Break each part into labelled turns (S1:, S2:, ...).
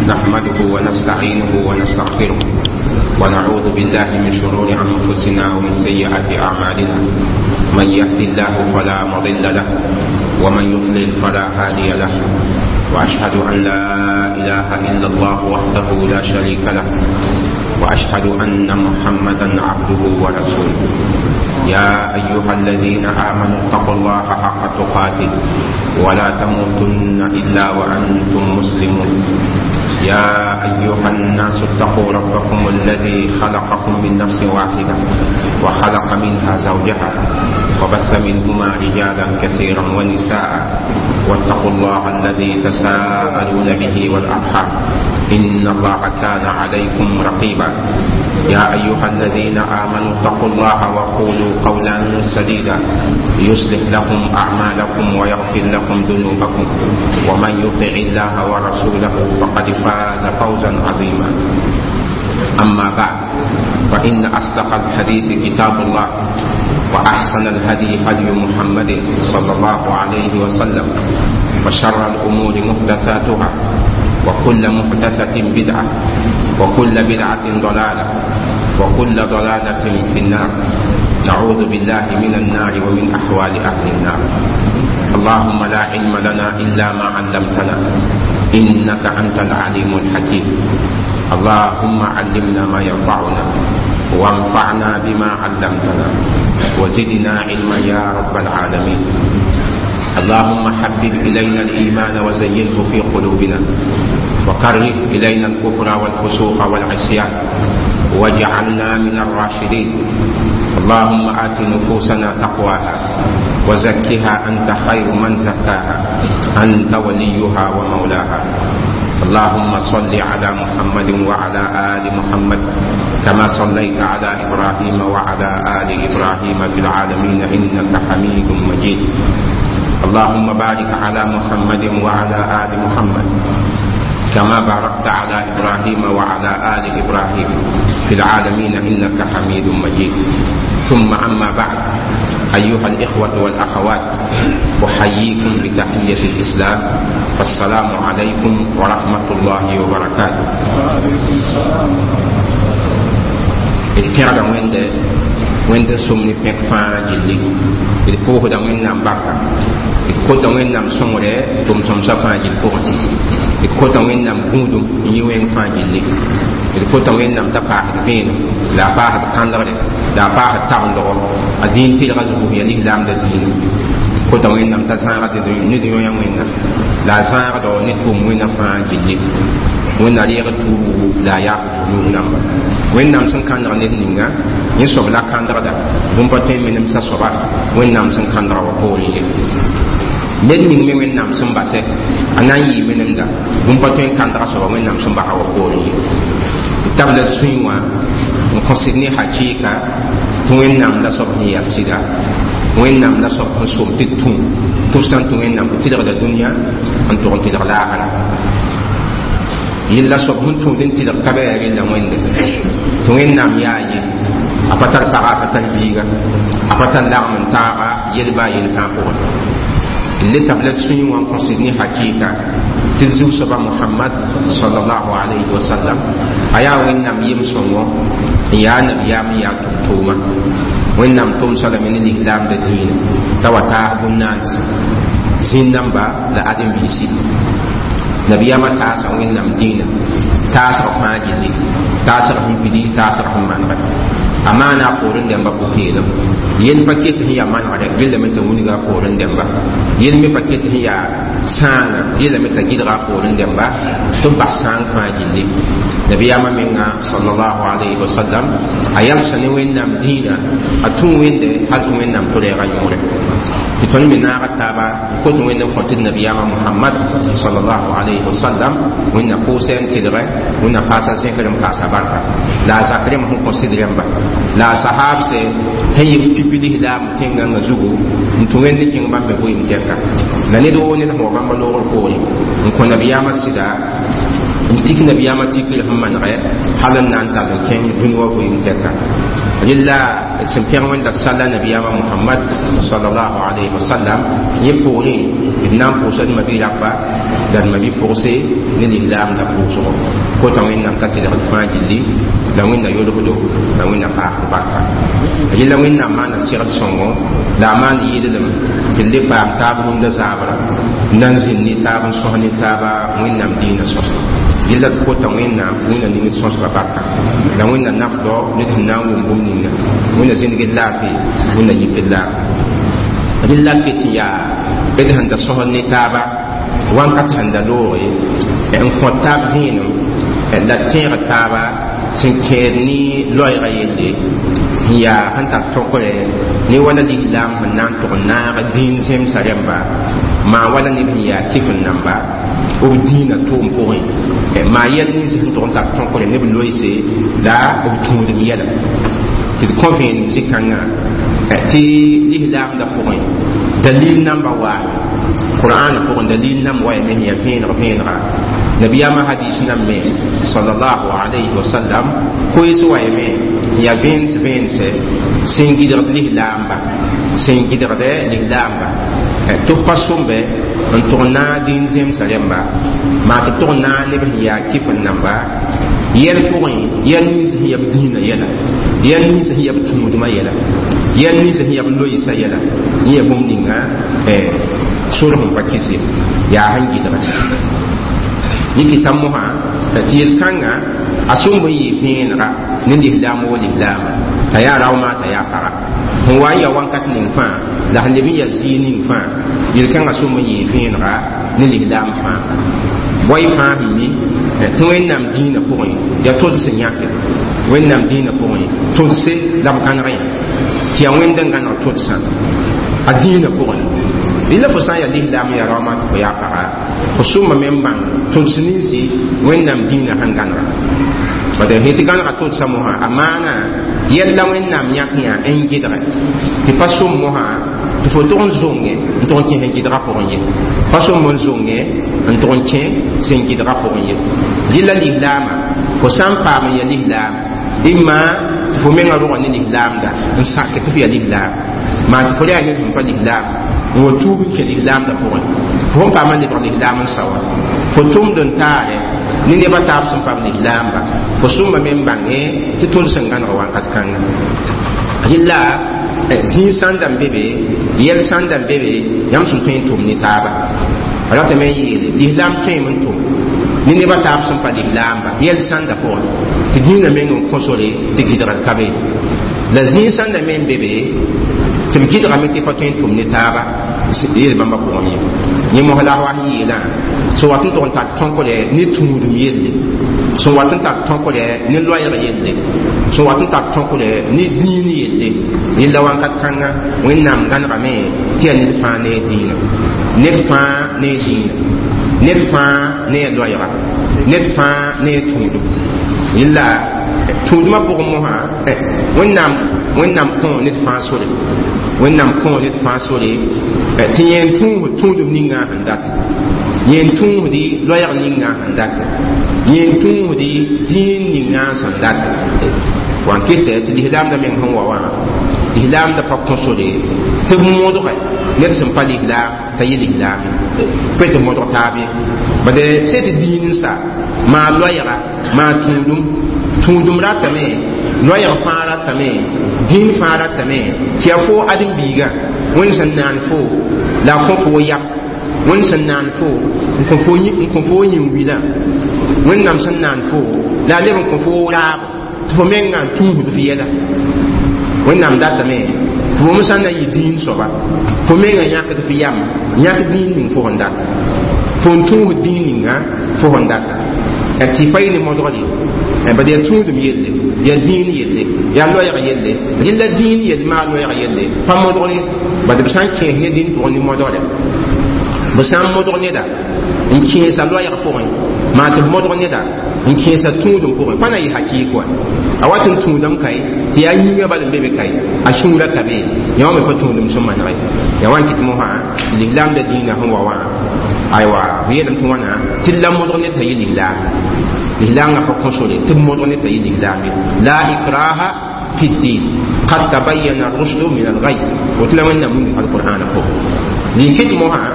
S1: نحمده ونستعينه ونستغفره ونعوذ بالله من شرور أنفسنا ومن سيئات أعمالنا. من يهد الله فلا مضل له ومن يضلل فلا هادي له، وأشهد أن لا إله إلا الله وحده لا شريك له، وأشهد أن محمدا عبده ورسوله. يا أيها الذين آمنوا اتقوا الله حق تقاته ولا تموتن إلا وأنتم مسلمون. يا أيها الناس اتقوا ربكم الذي خلقكم من نفس واحدة وخلق منها زوجها وبث منهما رجالا كثيرا ونساء، واتقوا الله الذي تساءلون به والأرحام إن الله كان عليكم رقيبا. يا أيها الذين آمنوا اتقوا الله وقولوا قولا سديدا يصلح لكم أعمالكم ويغفر لكم ذنوبكم، ومن يطع الله ورسوله فقد فاز فوزا عظيما. أما بعد، فإن أصدق الحديث كتاب الله، وأحسن الهدي هدي محمد صلى الله عليه وسلم، وشر الأمور محدثاتها، وكل محدثة بدعة، وكل بدعة ضلالة، وكل ضلالة في النار. نعوذ بالله من النار ومن أحوال أهل النار. اللهم لا علم لنا إلا ما علمتنا إنك أنت العليم الحكيم. اللهم علمنا ما ينفعنا وانفعنا بما علمتنا وزدنا علما يا رب العالمين. اللهم حبب إلينا الإيمان وزينه في قلوبنا، وكره إلينا الكفر والفسوق والعصيان، واجعلنا من الراشدين. اللهم آت نفوسنا تقواها وزكها أنت خير من زكاها، أنت وليها ومولاها. اللهم صل على محمد وعلى آل محمد كما صليت على إبراهيم وعلى آل إبراهيم في العالمين إنك حميد مجيد. اللهم بارك على محمد وعلى آل محمد كما باركت على إبراهيم وعلى آل إبراهيم في العالمين إنك حميد مجيد. ثم أما بعد، أيها الإخوة والأخوات، أحييكم بتحية الإسلام، فالسلام عليكم ورحمة الله وبركاته.
S2: وعليكم السلام.
S1: الكرة وين سمني بك فاجلي الكوه دا وين نام بكا الكوه دا وين نام سمره تم سمسا فاجل كوه الكوه دا وين نام غودم يوين فاجلي الكوه دا وين نام تباه فين لا باه كاندر لا باه تاندو الدين تلغزه يليه لام الدين الكوه دا وين نام تزارة نديو وين لا زارة دو نتوم وين فاجلي وين ناليغ تو لا يا نام وين نام سن كاندر نينغا يسوب لا كاندر دا بوم باتين منم سا soba wẽnnaam sẽn kãndga wa poorẽ ye ned ning me wẽnnaam sẽn basɛ a na n yɩ menemda bũmb pa tõe n kãndga soaba wẽnnaam sẽn basa wa poorẽ ye d tabla d sũy wã n kõsd ne hakɩɩka tɩ wẽnnaam la soab sẽn yaa sɩda wẽnnaam la soab sẽn som tɩ d tũ tɩ b sã n tũ wẽnnaam b tɩlgda dũniyã n tʋg n tɩlg laagara yella soab sẽn tũud n tɩlg ka bɩ yaa rella wẽnde tɩ wẽnnaam yaa ye a pa tar paga a pa tar biiga a pa tar lagm n taaga yelba a yel fãa pʋgẽ le tabla d sũyẽ wã n kõsd ne hakɩɩka tɩ d zu-soaba Mohamad sallallahu alayhi wa sallam a yaa wẽnnaam yem-sõngo n yaa nabiyaam n yaa tʋm-tʋʋma wẽnnaam tʋmsa lame ne lislaamda dĩinã t'a wa taas bũn-naansi zĩn-dãmba la ãdem-biisi nabiyaamã taasa wẽnnaam dĩinã taasg fãa gilli taasg sẽn pidi taasg sẽn manegɛ a maana a poorẽ dẽmba pʋ-peelem yel pa ket sẽn yaa manegdɛ rellame t'a wilga a poorẽ dẽmba yel me pa ket sẽn yaa sãanga rellame t'a gɩdga a poorẽ dẽmba tɩ b bas sãang fãa gilli nabiyaamã menga sallallahu alayhi wa sallam a yalsa ne wẽnnaam dĩinã a tũ wẽnde hal tɩ wẽnnaam tʋ-rɛɛga yõore tɩ tõnd me naaga taaba n kot wẽnd n kõ tɩ d nabiyaamã Mohamad sallallahu alayhi wa sallam wẽnna pʋʋsɛ n tɩlgɛ wẽnna paasa zẽkr n paasa barka la a zak rẽmb sẽn kõ sɩd rẽmba la a sahaabse sẽn yɩ pipi lislaam tẽn-gãngã zugu n tũ wẽnd n kẽng bãmb me vɩɩm tɛka la ned woo ned sẽn wa bãmba loogr poorẽ n kõ nabiyaamã sɩda n tik nabiyaamã tikr sẽn manegɛ hal n na n tall n kẽng dũni wã vɩɩm tɛka rella Sẽn pẽg Wẽnda d salla nabiyaamã Mohamad salallahu alayhi wa sallam. Yẽ poorẽ d na n pʋʋsa d mabi-rapa la d mabi-pʋgse ne lislaamda pʋʋsgo kota Wẽnnaam t'a tɩlgd fãa gilli la Wẽnna yolgdo la Wẽnna paasd barka. Yella Wẽnnaam maana segd sõngo la a maan yɩɩdlem tɩ d le paam taab rũndã zaabra n na n zĩnd ne taab n sõs ne taaba Wẽnnaam dĩinã sõsgo. Yella d kota Wẽnnaam Wẽnna ning d sõsga barka la Wẽnna nafdɔ ned sẽn na n wʋm bũmb ninga Wẽnna zĩndg d laafɩ Wẽnna yik d laafɩ. Rɩla ket n yaa d sẽn da sõsd ne taaba wãnkat sẽn da looge n kõ taab vẽenem la tẽeg taaba sẽn kẽed ne loɛɛga yelle n yaa sẽn tar tõkre ne wala lislaam sẽn na n tʋg n naag dĩin zemsa rẽmba maa wala neb sẽn yaa kɩf n namba b dĩinã tʋʋm pʋgẽ maa yɛl nins sẽn tʋg n tar tõkre ne b loeese la b tũudem yɛla tɩ d kõ vẽenem zĩ-kãngã tɩ lislaamdã pʋgẽ dalil namba waa Qur'an pʋgẽ dalil nam wa me yaa vẽeneg vẽenega nabiyaamã hadis nam me sallallahu alayhi wa sallam koees wa me yaa vẽens vẽense sẽn gɩdgd lislaamba sẽn gɩdgd lislaamba tɩ b pa sõmbe n tʋg n naag dĩin zemsã rẽmba maa tɩ b tʋg n naag neb sẽn yaa kɩf n namba yɛl pʋgẽ yɛl nins sẽn yaa b dĩinã yɛla yɛl nins sẽn yaa b tũudmã yɛla yɛl nins sẽn yaa b loeesã yɛla yẽ yaa bũmb ninga sor sẽn pa kɩs ye yaa sẽn gɩdga yẽ kɩta mosã tɩ yel-kãngã a sõmb n yɩ vẽenega ne lislaam wo lislaama t'a yaa raomaa t'a yaa paga sẽn wa n ya wãnkat ning fãa la sẽn leb n ya zɩɩ ning fãa yel-kãngã sõmb n yɩ vẽenega ne lislaam fãa boy fãa sẽn mi tɩ Wẽnnaam dĩinã pʋgẽ yaa tods n yãke Wẽnnaam dĩinã pʋgẽ todse la b gãneg yã tɩ yaa Wẽnd n gãneg todsã a dĩinã pʋgẽ. Rɩla fo sã n yaa lislaam yaa raomaa tɩ fo yaa paga fo sõma me n bãng tods ninsi Wẽnnaam dĩinã sẽn gãnega bad sẽn tɩ gãnega todsã mosã a maana yɛl la Wẽnnaam yãk yã n gɩdge tɩ pa sõm mosã tɩ fo tʋg n zonge n tʋg n kẽ sẽn gɩdga pʋgẽ ye pa sõm n zonge n tʋg n kẽ sẽn gɩdga pʋgẽ ye. Rɩla lislaamã fo sã n paam n ya lislaam imma tɩ fo menga rʋga ne lislaamda n sak tɩ fo ya lislaam maa tɩ fo yaa ned sẽn pa lislaam n wa tuub n kẽ lislaamda pʋgẽ fo sẽn paam n lebg lislaam n sa wa fo tʋmd n taare ne nebã taab sẽn paam lislaamba fo sõmba me n bãnge tɩ tõnd sẽn gãneg wãnkat kãnga. Rɩla zĩig sãnda n be be yɛl sãnda n be be yãmb sẽn tõe n tʋm ne taaba a ratame n yeele lislaam tõeme n tʋm ne nebã taab sẽn pa lislaamba yɛl sãnda pʋgẽ tɩ dĩinã meng n kõ sore tɩ gɩdgd ka be la zĩig sãnda me n be be tɩ b gɩdgame tɩ pa tõe n tʋm ne taaba yel bãmba pʋgẽ ye. Yẽ mos la a wa sẽn yeelã sẽn wat n tʋg n tar tõkre ne tũudum yelle sẽn wat n tar tõkre ne loɛɛg yelle sẽn wat n tar tõkre ne dĩin yelle yella wãnkat kãnga Wẽnnaam gãnegame tɩ yaa ned fãa ne a dĩinã ned fãa ne a dĩinã ned fãa ne a loɛɛga ned fãa ne a tũudum. Yella tũudmã pʋgẽ mosã Wẽnnaam Wẽnnaam kõ ned fãa sore Wẽnnaam kõ ned fãa sore tɩ yẽ n tũusd tũudum ninga sẽn data yẽ n tũusdi loɛɛg ninga sẽn data yẽ n tũusdi dĩin ninga sẽn data wan kɩtɛ tɩ lislaamda meng sẽn wa wã lislaamda pa kõ sore tɩ b modge ned sẽn pa lislaam t'a yɩ lislaam pa tɩ modg taab ye bad sẽn tɩ dĩin n sa maa loɛɛga maa tũudum tũudum ratame loɛɛg fãa ratame dĩin fãa ratame tɩ yaa fo ãdem-biigã Wẽnd sẽn naan fo la a kõ fo yam Wẽnd sẽn naan fo n kõ fo yĩn-wilã Wẽnnaam sẽn naan fo la a leb n kõ fo raabo tɩ fo mengã n tũusd f yɛla Wẽnnaam datame tɩ fo me sã n na n yɩ dĩin soaba fo mengã yãkd f yam yãk dĩin ning fo sẽn data fo n tũusd dĩin ninga fo sẽn data tɩ pa yɩ ne modgd ye bad yaa tũudum yelle yaa dĩin yelle yaa loɛɛg yelle rɩla dĩin yell maa loɛɛg yelle pa modg ye bad b sã n kẽes ne dĩin pʋgẽ ne modgda b sã n modg neda n kẽesa loɛɛg pʋgẽ maa tɩ b modg neda n kẽesa tũudum pʋgẽ pa na yɩ hakɩɩk wa a wat n tũudame kae tɩ yaa yĩngã bal n be be kae a sũurã ka be yã wã me pa tũudum sẽn maneg ye yaa wa n kɩt mosã lislaamda dĩinã sẽn wa wã aywa b yeelame tɩ wãna tɩ la modg ned t'a yɩ lislaam lislaamgã pa kõ sore tɩ b modg ned t'a yɩ lislaam ye la ikraha fi ddin. قد تبين الرشد من الغي وتلا وين من القرآن فوق لكت موها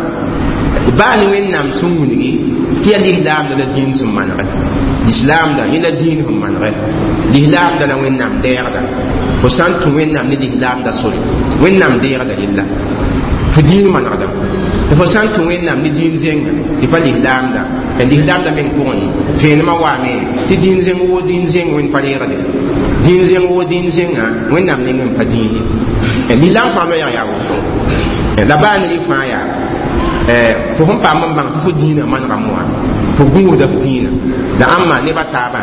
S1: بان وين نام سونغي تي الإسلام دا دين ثم من غير الإسلام دا إلى دين هم من غير الإسلام دا وين نام دير دا فسانت وين نام الإسلام دا سوري وين نام دير دا لله فدين من غدا تفسانت وين نام دين زين تفا الإسلام دا الإسلام دا من كون فين ما وامي تدين زين و دين زين وين فلير دا دين زين و دين زين وين نام نين فدين الإسلام فما يا يا la baa ne fãa yaa fo sẽn paam n bãng tɩ fo dĩinã manegame wã fo gũusda f dĩinã la ãmba nebã taabã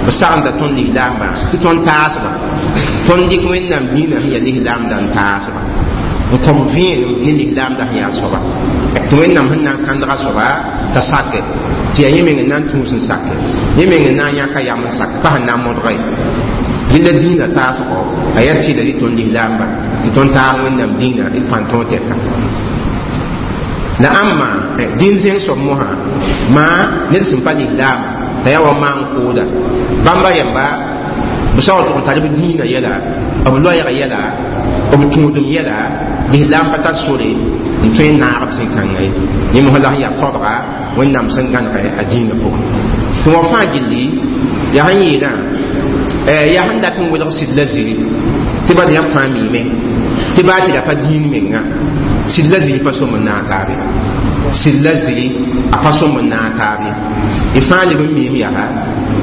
S1: b sagenda tõnd lislaambã tɩ tõnd taasba tõnd dɩk wẽnnaam dĩinã sẽn yaa lislaamda n taasba n kõb vẽenem ne lislaamda sẽn yaa soaba tɩ wẽnnaam sẽn na n kãndga soaba t'a sake tɩ yaa yẽ meng n na n tũus n sake yẽ meng n na n yãka yam n sake pa sẽn na n modga ye rɩla dĩinã taasgo a yaa tɩla tɩ tõnd lislaambã tɩ tõnd taag wẽnnaam dĩinã d pãn tõog tɛka la ãmba dĩn zẽng soab mosã maa ned sẽn pa lislaama t'a yaa wa maan kooda bãmba rẽmba b sao tʋg n tar b dĩinã yɛla b loɛɛg yɛla b tũudem yɛla lislaam pa tar sore n tõe n naag b zĩ-kãngã ye yẽ mosã la sẽn yaa taoodga wẽnnaam sẽn gãnegɛ a dĩinã pʋgẽ tɩ wã fãa gilli yaa sẽn yeelã yaa sẽn dat n welg sɩd la ziri tɩ bad yãmb fãa miime tɩ baa tɩ ra pa dĩin menga sɩd la ziri pa som n naag taabe sɩd la ziri a pa som n naag taabe y fãa leb n miim yaa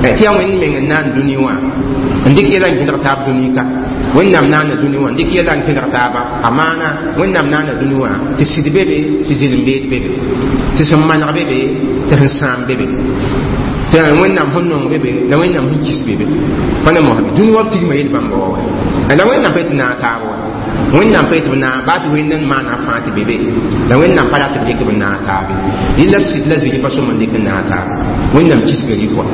S1: tɩ yaa wẽnd meng n naan dũni wã n dɩk yɛla n kẽdg taab dũni ka wẽnnaam naana dũni wã n dɩk yɛla n kẽdg taaba a maana wẽnnaam naana dũni wã tɩ sɩd be be tɩ zɩlem beed be be tɩ sẽn maneg be be tɩ sẽn sãam be be tɩ wẽnnaam sẽn nong be be la wẽnnaam sẽn kis be be pa ne mosame dũni wã b tigma yel bãmba wa wa la wẽnnaam pa tɩ naag taab wa wẽnnaam pa tɩ b naag baa tɩ wẽnd n maana fãa tɩ be be la wẽnnaam pa rat b dɩk b naag taabe yella sɩd la ziri pa sõm n dɩk n naag taabe wẽnnaam kisga rɩk wa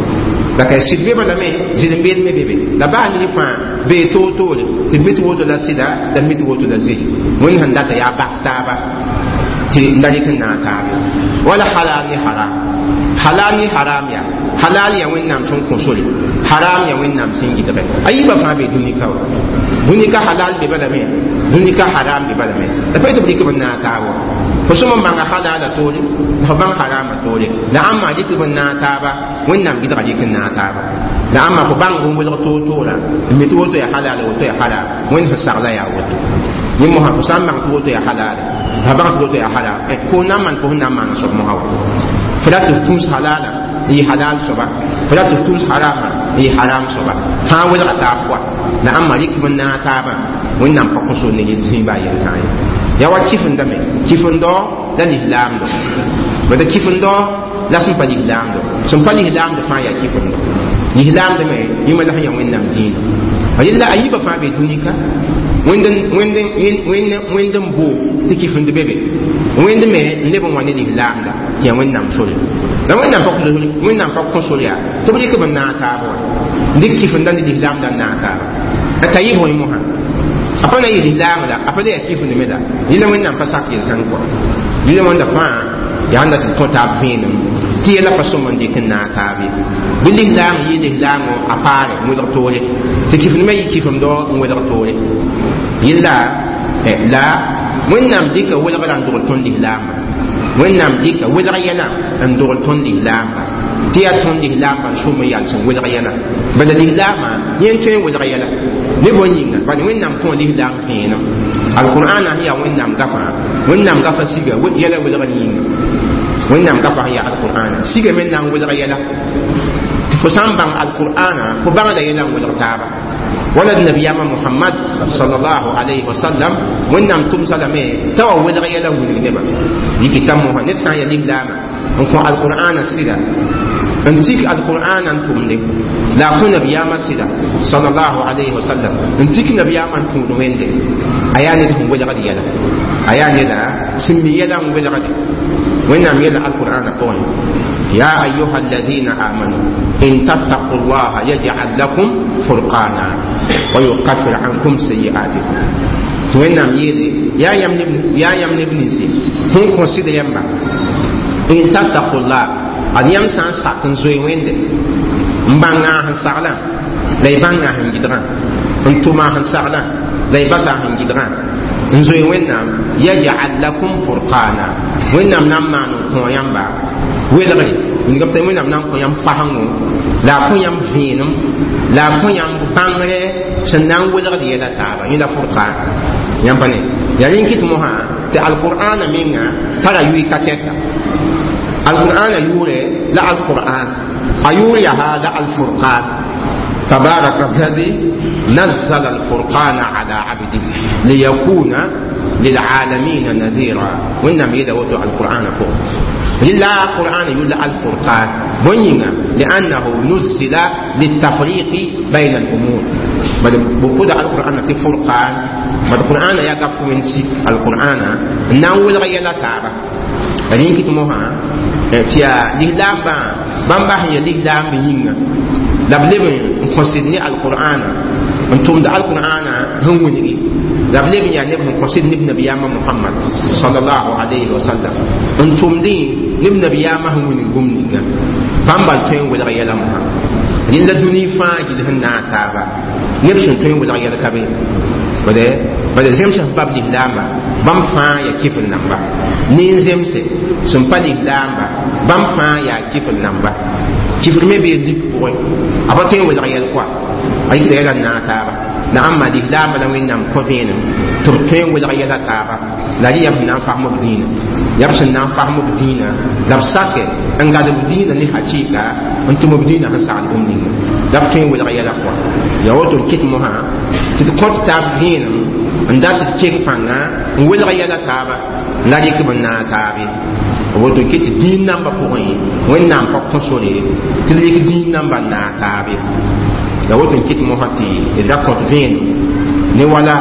S1: la ka sɩd be balame zɩlem beed me be be la baa ne fãa bee toor-toore tɩ mi tɩ woto la sɩda la mi tɩ woto la ziri wẽnd sẽn data yaa bak taaba tɩ n da dɩk n naag taabe wala halal ne haram halal ne haram yaa halal yaa wẽnnaam sẽn kõ sore haram yaa wẽnnaam sẽn gɩdgɛ a yiibã fãa bee dũni ka wa dũni ka halal be balame dũni ka haram be balame la pa tɩ b dɩk b naag taab wa fo sõm n bãnga halala toore la fo bãng harama toore la ãmba dɩk b naag taaba wẽnnaam gɩdga dɩk n naag taaba la ãmba fo bãng n welg toor-toorã n mi tɩ woto yaa halala woto yaa haram wẽnd sẽn sagla yaa woto yẽ mosã fo sã n bãng tɩ woto yaa halala la bãng tɩ woto yaa haram fo na n maan fo sẽn na n maana soab mosã wa fo rat tɩ f tũus halala n yɩ halal soaba fo rat tɩ f tũus harama n yɩ haram soaba fãa welga taab pʋa la ãmba rɩk b naag taabã wẽnnaam pa kõ sor ne zĩiba a yel-tãa ye yaa wa kifendame kifendao la lislaamdo bala kifendao la sẽn pa lislaamdo sẽn pa lislaamdo fãa yaa kifendo lislaamdo me yẽma la sẽn yaa wẽnnaam dĩinã yella a yiibã fãa bee dũni ka wẽnd n boo tɩ kifend be be wẽnd me n leb n wa ne lislaamda tɩ yaa wẽnnaam sore la wẽnnaam pa kõ sore yaa tɩ b dɩk b naag taab wa n dɩk kifenda ne lislaamda n naag taaba t'a yɩ bõe mosã a pa na yɩ lislaam la a pa le yaa kifend me la yẽla wẽnnaam pa sak yel-kãng kɔa yẽla wãnda fãa yaa sẽn dat tɩ kõ taab vẽenem tɩ yɛla pa sõm n dɩk n naag taab ye bɩ lislaam yɩ lislaamõ a paare n welg toore tɩ kifend me yɩ kifemdɔ n welg toore yella la wẽnnaam dɩka welgrã n dogl tõnd lislaambã wẽnnaam dɩka welg yɛla n dogl tõnd lislaambã tɩ yaa tõnd lislaambã n sʋm n yals n welg yɛla bala lislaamã yẽ n tõe n welg yɛla ne bõe yĩnga bala wẽnnaam kõ lislaam vẽenem alqur'ana sẽn yaa wẽnnaam gafã wẽnnaam gafã siga yɛla welgr yĩnga wẽnnaam gafã sẽn yaa alqur'ana siga me na n welg yɛla tɩ fo sã n bãng alqur'ana fo bãngda yɛla n welg taaba wala nabiyama muhammad sallallahu alayhi wa sallam wẽnnaam tʋmsa lame t'a wa welg yɛla wilg nebã yikɩ t'a mosã ned sã n yaa lislaama n kõ alqur'ana sɩda n tik alqur'ana n tʋmde la a kõ nabiyaamã sɩda sallallahu alayhi wa sallam n tik nabiyaamã n tũud wẽnde a yaa ned sẽn welgd yɛla a yaa neda sẽn mi yɛla n welgde wẽnnaam yɛla alqur'ana pʋgẽ يا أيها الذين آمنوا إن تتقوا الله يجعل لكم فرقانا ويكفر عنكم سيئاتكم وإنام يلي يا يم نبنسي هم كونسيد يمبا إن تتقوا الله ad yãmb sã n sak n zoe wẽnde n bãnga sẽn saglã la y bãnga sẽn gɩdgã n tʋma sẽn saglã La y basa sẽn gɩdgã n zoe Wẽnnaam yaj'al lakum furqana Wẽnnaam na n maan n kõ yãmba welgre wilgame tɩ Wẽnnaam na n kõ yãmb fasengo la a kõ yãmb vẽenem la a kõ yãmb bãngre sẽn na n welgd yɛla taaba yẽ la furqan yãmb pa ne yaa rẽ n kɩt mosã tɩ alqur'ana menga tara yʋɩ ka tɛka alqur'ana yʋʋrɛ la alqur'an a yʋʋr yaa la alfurqan. تبارك الذي نزل الفرقان على عبده ليكون للعالمين نذيرا. وإنما يدوت القرآن فوق لله القرآن يقول الفرقان بنينا لأنه نزل للتفريق بين الأمور. بل بقول القرآن الفرقان بل القرآن يقف من سيك القرآن نقول غير لا تعب لكن كتموها تيا لهلام با بامبا هي لهلام بينا la b leb n kõsd ne alqur'ana n tʋmd alqur'ana sẽn wilgi la b leb n yaa neb sẽn kõsd neb nabiyaamã Muhammad sallallahu alayhi wa sallam n tʋmdẽ neb nabiyaamã sẽn wilg bũmb ninga bãmb bal tõe n welg yɛla mosã rẽnd la dũni fãa gill sẽn naag taaba neb sẽn tõe n welg yɛl ka be bala zems sẽn pa b lislaamba bãmb fãa yaa kifr namba nin-zemse sẽn pa lislaamba bãmb fãa yaa kifr namba kifr me bee lik pʋgẽ a pa tõe n welg yɛl koa a yikda yɛla n naag taaba la ãmba lislaamba la Wẽnnaam kõ vẽenem tɩ b tõe n welg yɛla taaba la rẽ yaa b sẽn na n fasm b dĩinã yaa b sẽn na n fasm b dĩinã la b sake n gad b dĩinã ne hakɩɩka n tʋm b dĩinã sẽn sagl bũmb ninga la b tõe n welg yɛla koa yaa woto n kɩt mosã tɩ d kõt taab vẽenem n dat d keng pãnga n welg yɛla taaba la rɩk b n naag taabe woto kɩ tɩ dĩin nambã pʋgẽ Wẽnnaam pa kõ sore tɩ d rɩk dĩin nambã n naag taabe la woto n kɩt mosã tɩ d ra kõt vẽenem ne wala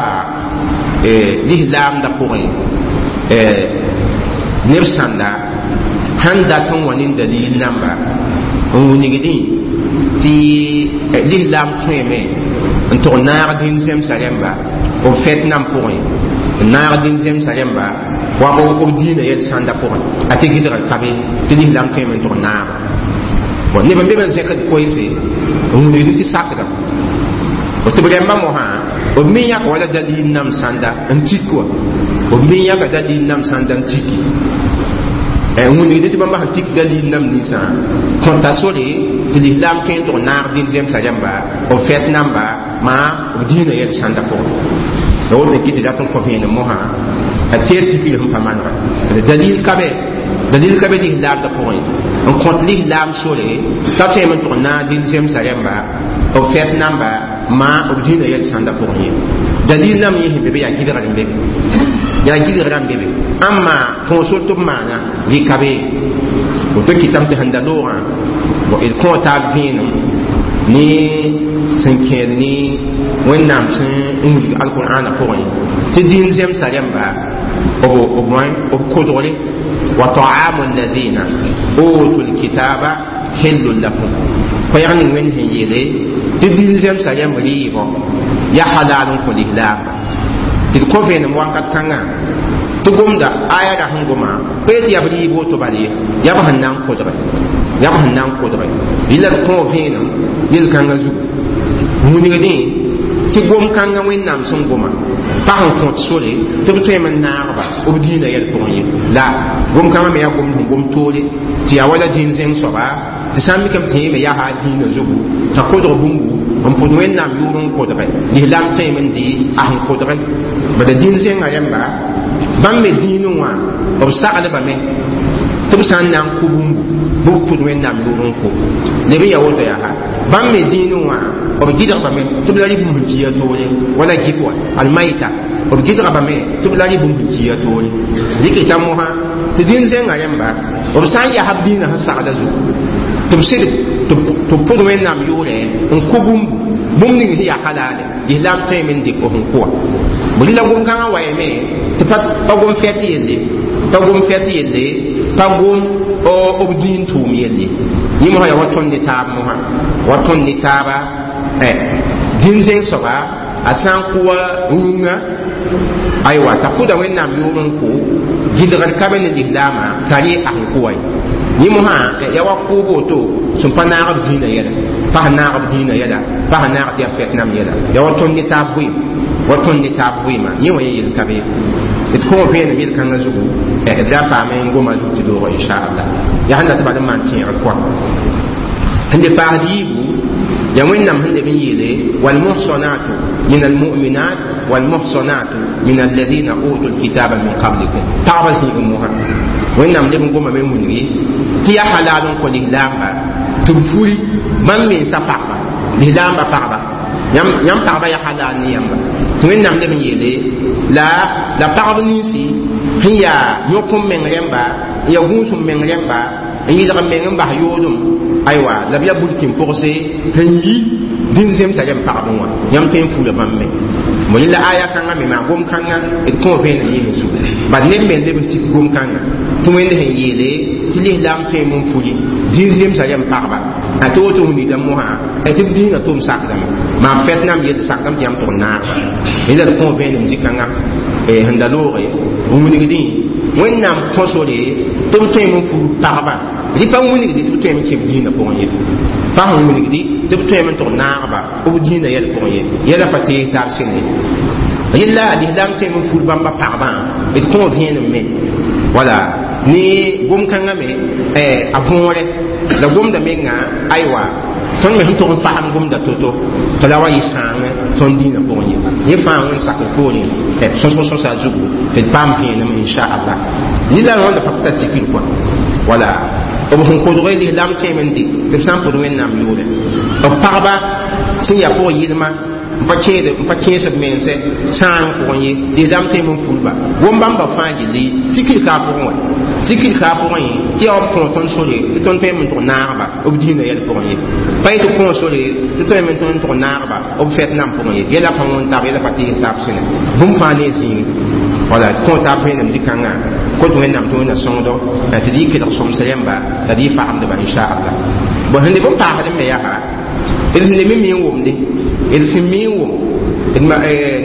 S1: lislaamdã pʋgẽ neb sãnda sãn dat n wa ne dalil namba n wilgdẽ tɩ lislaam tõeme n tʋg naag dĩn zemsa rẽmba b fɛt nam pʋgẽ n naag dĩn zemsa rẽmba wa b dĩinã yɛl sãnda pʋgẽ a tɩ gɩdgr ka be tɩ lislaam tõeme n tʋg naaba bon neb n be b n zẽkd koeese n wilgd tɩ sakdame tɩ b rẽmbã mosã b me yãka wala dalil nam sãnda n tik wa b me yãka dalil nam sãnda n tiki n wilgd tɩ bãmba sẽn tik dalil nam ninsã kõta sore tɩ lislaam tõe n tʋg naag dĩn zemsa rẽmba b fɛt namba maa b dĩinã yɛl sãnda pʋgẽ la woto n kɩ tɩ dat n kõ vẽenem mosã a teer tikr sẽn pa manega dalil ka be dalil ka be lislaamdã pʋgẽ n kõt lislaam sore t'a tõeme n tʋg naag dĩn zemsa rẽmba b fɛt namba maa b dĩinã yɛl sãnda pʋgẽ ye dalil nam yẽ sẽn be be yaa gɩdgr n be be yaa gɩdgrã n be be ãmma tõog-sor tɩ b maana rɩka be woto kɩtame tɩ sẽn da loogã d kõo taab vẽenem ne sẽn kẽed ne Wẽnnaam sẽn n wilg alqur'ana pʋgẽ tɩ dĩin zemsa rẽmba b kodgre wa ta'amu alladhina utu lkitaba hillun lakum koɛɛg ning Wẽnd sẽn yeele tɩ dĩin zemsa rẽmb rɩɩbɔ yaa halal n kõ lislaamba tɩ d kõ vẽenem wakat kãngã tɩ gomda aya ra sẽn goma pa yetɩ yaa b rɩɩb woto bal ye yaa b sẽn na n kodge yaa b sẽn na n kodge yɩla d kõo vẽenem yel-kãngã zugu wilgdẽ tɩ gom kãngã Wẽnnaam sẽn goma pa sẽn kõt sore tɩ b tõeme n naagba b dĩinã yɛl pʋgẽ ye la gom kãngã me yaa gom sẽn gom toore tɩ yaa wala dĩin zẽng soaba tɩ sã n mikame tɩ yẽme yaa a dĩinã zugu t'a kodg bũmbu n pʋd Wẽnnaam yʋʋr n kodge lislaam tõeme n dɩ a sẽn kodge bala dĩin zẽngã rẽmba bãmb me dĩinẽ wã b saglbame tɩ b sã n na n kʋ bũmbu bɩ b pʋd Wẽnnaam yʋʋr n kʋ leb n yaa woto yaa bãmb me dĩinẽ wã b gɩdgbame tɩ b la rɩ bũmb sẽn kiya toore wala gif wa almaita b gɩdgbame tɩ b la rɩ bũmb sẽn kiya toore rɩkɩta mosã tɩ dĩin zẽngã rẽmba b sã n yaa b dĩinã sẽn sagla zugu tɩ b sɩd tɩ b pʋd Wẽnnaam yʋʋrẽ n kʋ bũmbu bũmb ning sẽn yaa halale lislaam tõeme n dɩk sẽn kʋwa b la gom-kãngã wa yame tɩ pa gom fɛt yelle pa gom fɛt yelle pa gom b dĩin tʋʋm yelle yẽ mosã yaa wa tõnd ne taab mosã wa tõnd ne taaba dĩn zẽng soaba a sã n kʋwa rũngã aywa t'a pʋda Wẽnnaam yʋʋr n kʋ gɩdgr ka be ne lislaamã t'a rɩ a sẽn kʋwa ye yẽ mosã yaa wa kʋʋb woto sẽn pa naag b dĩinã yɛla pa sẽn naag b dĩinã yɛla pa sẽn naag tɩ yaa fɛt nam yɛla yaa wa tõnd ne taab bʋɩ Wa tõnd ne taab vɩɩmã yẽ wã ye yel ka be d kõ vẽenem yel-kãngã zugu d ra paame n goma zug tɩ doogã inchallah yaa sẽn dat bal n maan tẽegr kɔa sẽn de paasd yiibu yaa wẽnnaam sẽn leb n yeele walmuhsanatu min almuminat walmuhsanatu min alladina utu lkitaba min qablikum pagba zĩig mosã wẽnnaam leb n goma me n wilgi tɩ yaa halal n kõ lislaamba tɩ b furi bãmb mensã pagba lislaamba pagba yãmb pagba yaa halal ne yãmba tɩ wẽnnaam leb n yeele la pagb ninsi sẽn yaa yõk n meng rẽmba n yaa gũus n meng rẽmba n yɩlg n meng n bas yoodem aywa la b yaa bulkin pʋgse sẽn yi dĩn zemsa rẽmb pagb wã yãmb tõe n fuura bãmb me bõ yẽla aya kãngã me maa gom-kãngã d kõ vẽenem yɩs zugu bad ned me n leb n tik gom-kãngã tɩ wẽnd sẽn yeele tɩ lislaam tõe n furi dĩn zemsa rẽmb pagba a tɩ woto wilgda mosã tɩ b dĩinã tʋm sakdame maa fɛt nam yell sakdame tɩ yãmb tʋg naagba yẽla d kõ vẽenem zĩ-kãngã sẽn da looge n wilgdẽ wẽnnaam kõ sore tɩ b tõeme n fur pagba rɩ pa wilgdi tɩ b tõeme n kẽ b dĩinã pʋgẽ ye pa sẽn wilgdi tɩ b tõeme n tʋg naagba b dĩinã yɛl pʋgẽ ye yɛla pa tees taab sẽne yella lislaam tõeme n fur bãmba pagbã d kõ vẽenem me wala ne gom-kãngã me a võore la gomda menga aywa tõnd me sẽn tʋg n fasem gomda to-to tɩ la wa yɩ sãang tõnd dĩinã pʋgẽ ye yẽ fãa wẽn sakr poorẽ sõsg sõsa zugu tɩ d paam vẽenem inchallah lila rõnda pa ta tikr kɔa wala b sẽn kodg lislaam tõeme n de tɩ b sã n pʋd wẽnnaam yʋʋrɛ b pagba sẽn yaa pʋg yɩlma n pa kẽed n pa kẽes b mense sãang pʋgẽ ye lislaam tõeme n fulba gom bãmba fãa gilli tikr ka a pʋgẽ wa tikr ka a pʋgẽ tɩ yaa b kõ tõnd sore tɩ tõnd tõeme n tʋg naagba b dĩinã yɛl pʋgẽ ye pa yetɩ kõ sore tɩ tõeme n tõnd tʋg naagba b fɛt nam pʋgẽ ye yɛla pa wõn taab yɛla pa tɩs saab sẽne bũmb fãa ne zĩig wala tɩ kõ taab vẽenem zĩ-kãngã kot wẽnnaam tɩ wẽnna sõngdo tɩ d yɩ kelg sõms rẽmba la d yɩ fagemdba inchallah bõn sẽn leb n paasd me yaa d sẽn leb n mi n wʋmde d sẽn mi n wʋm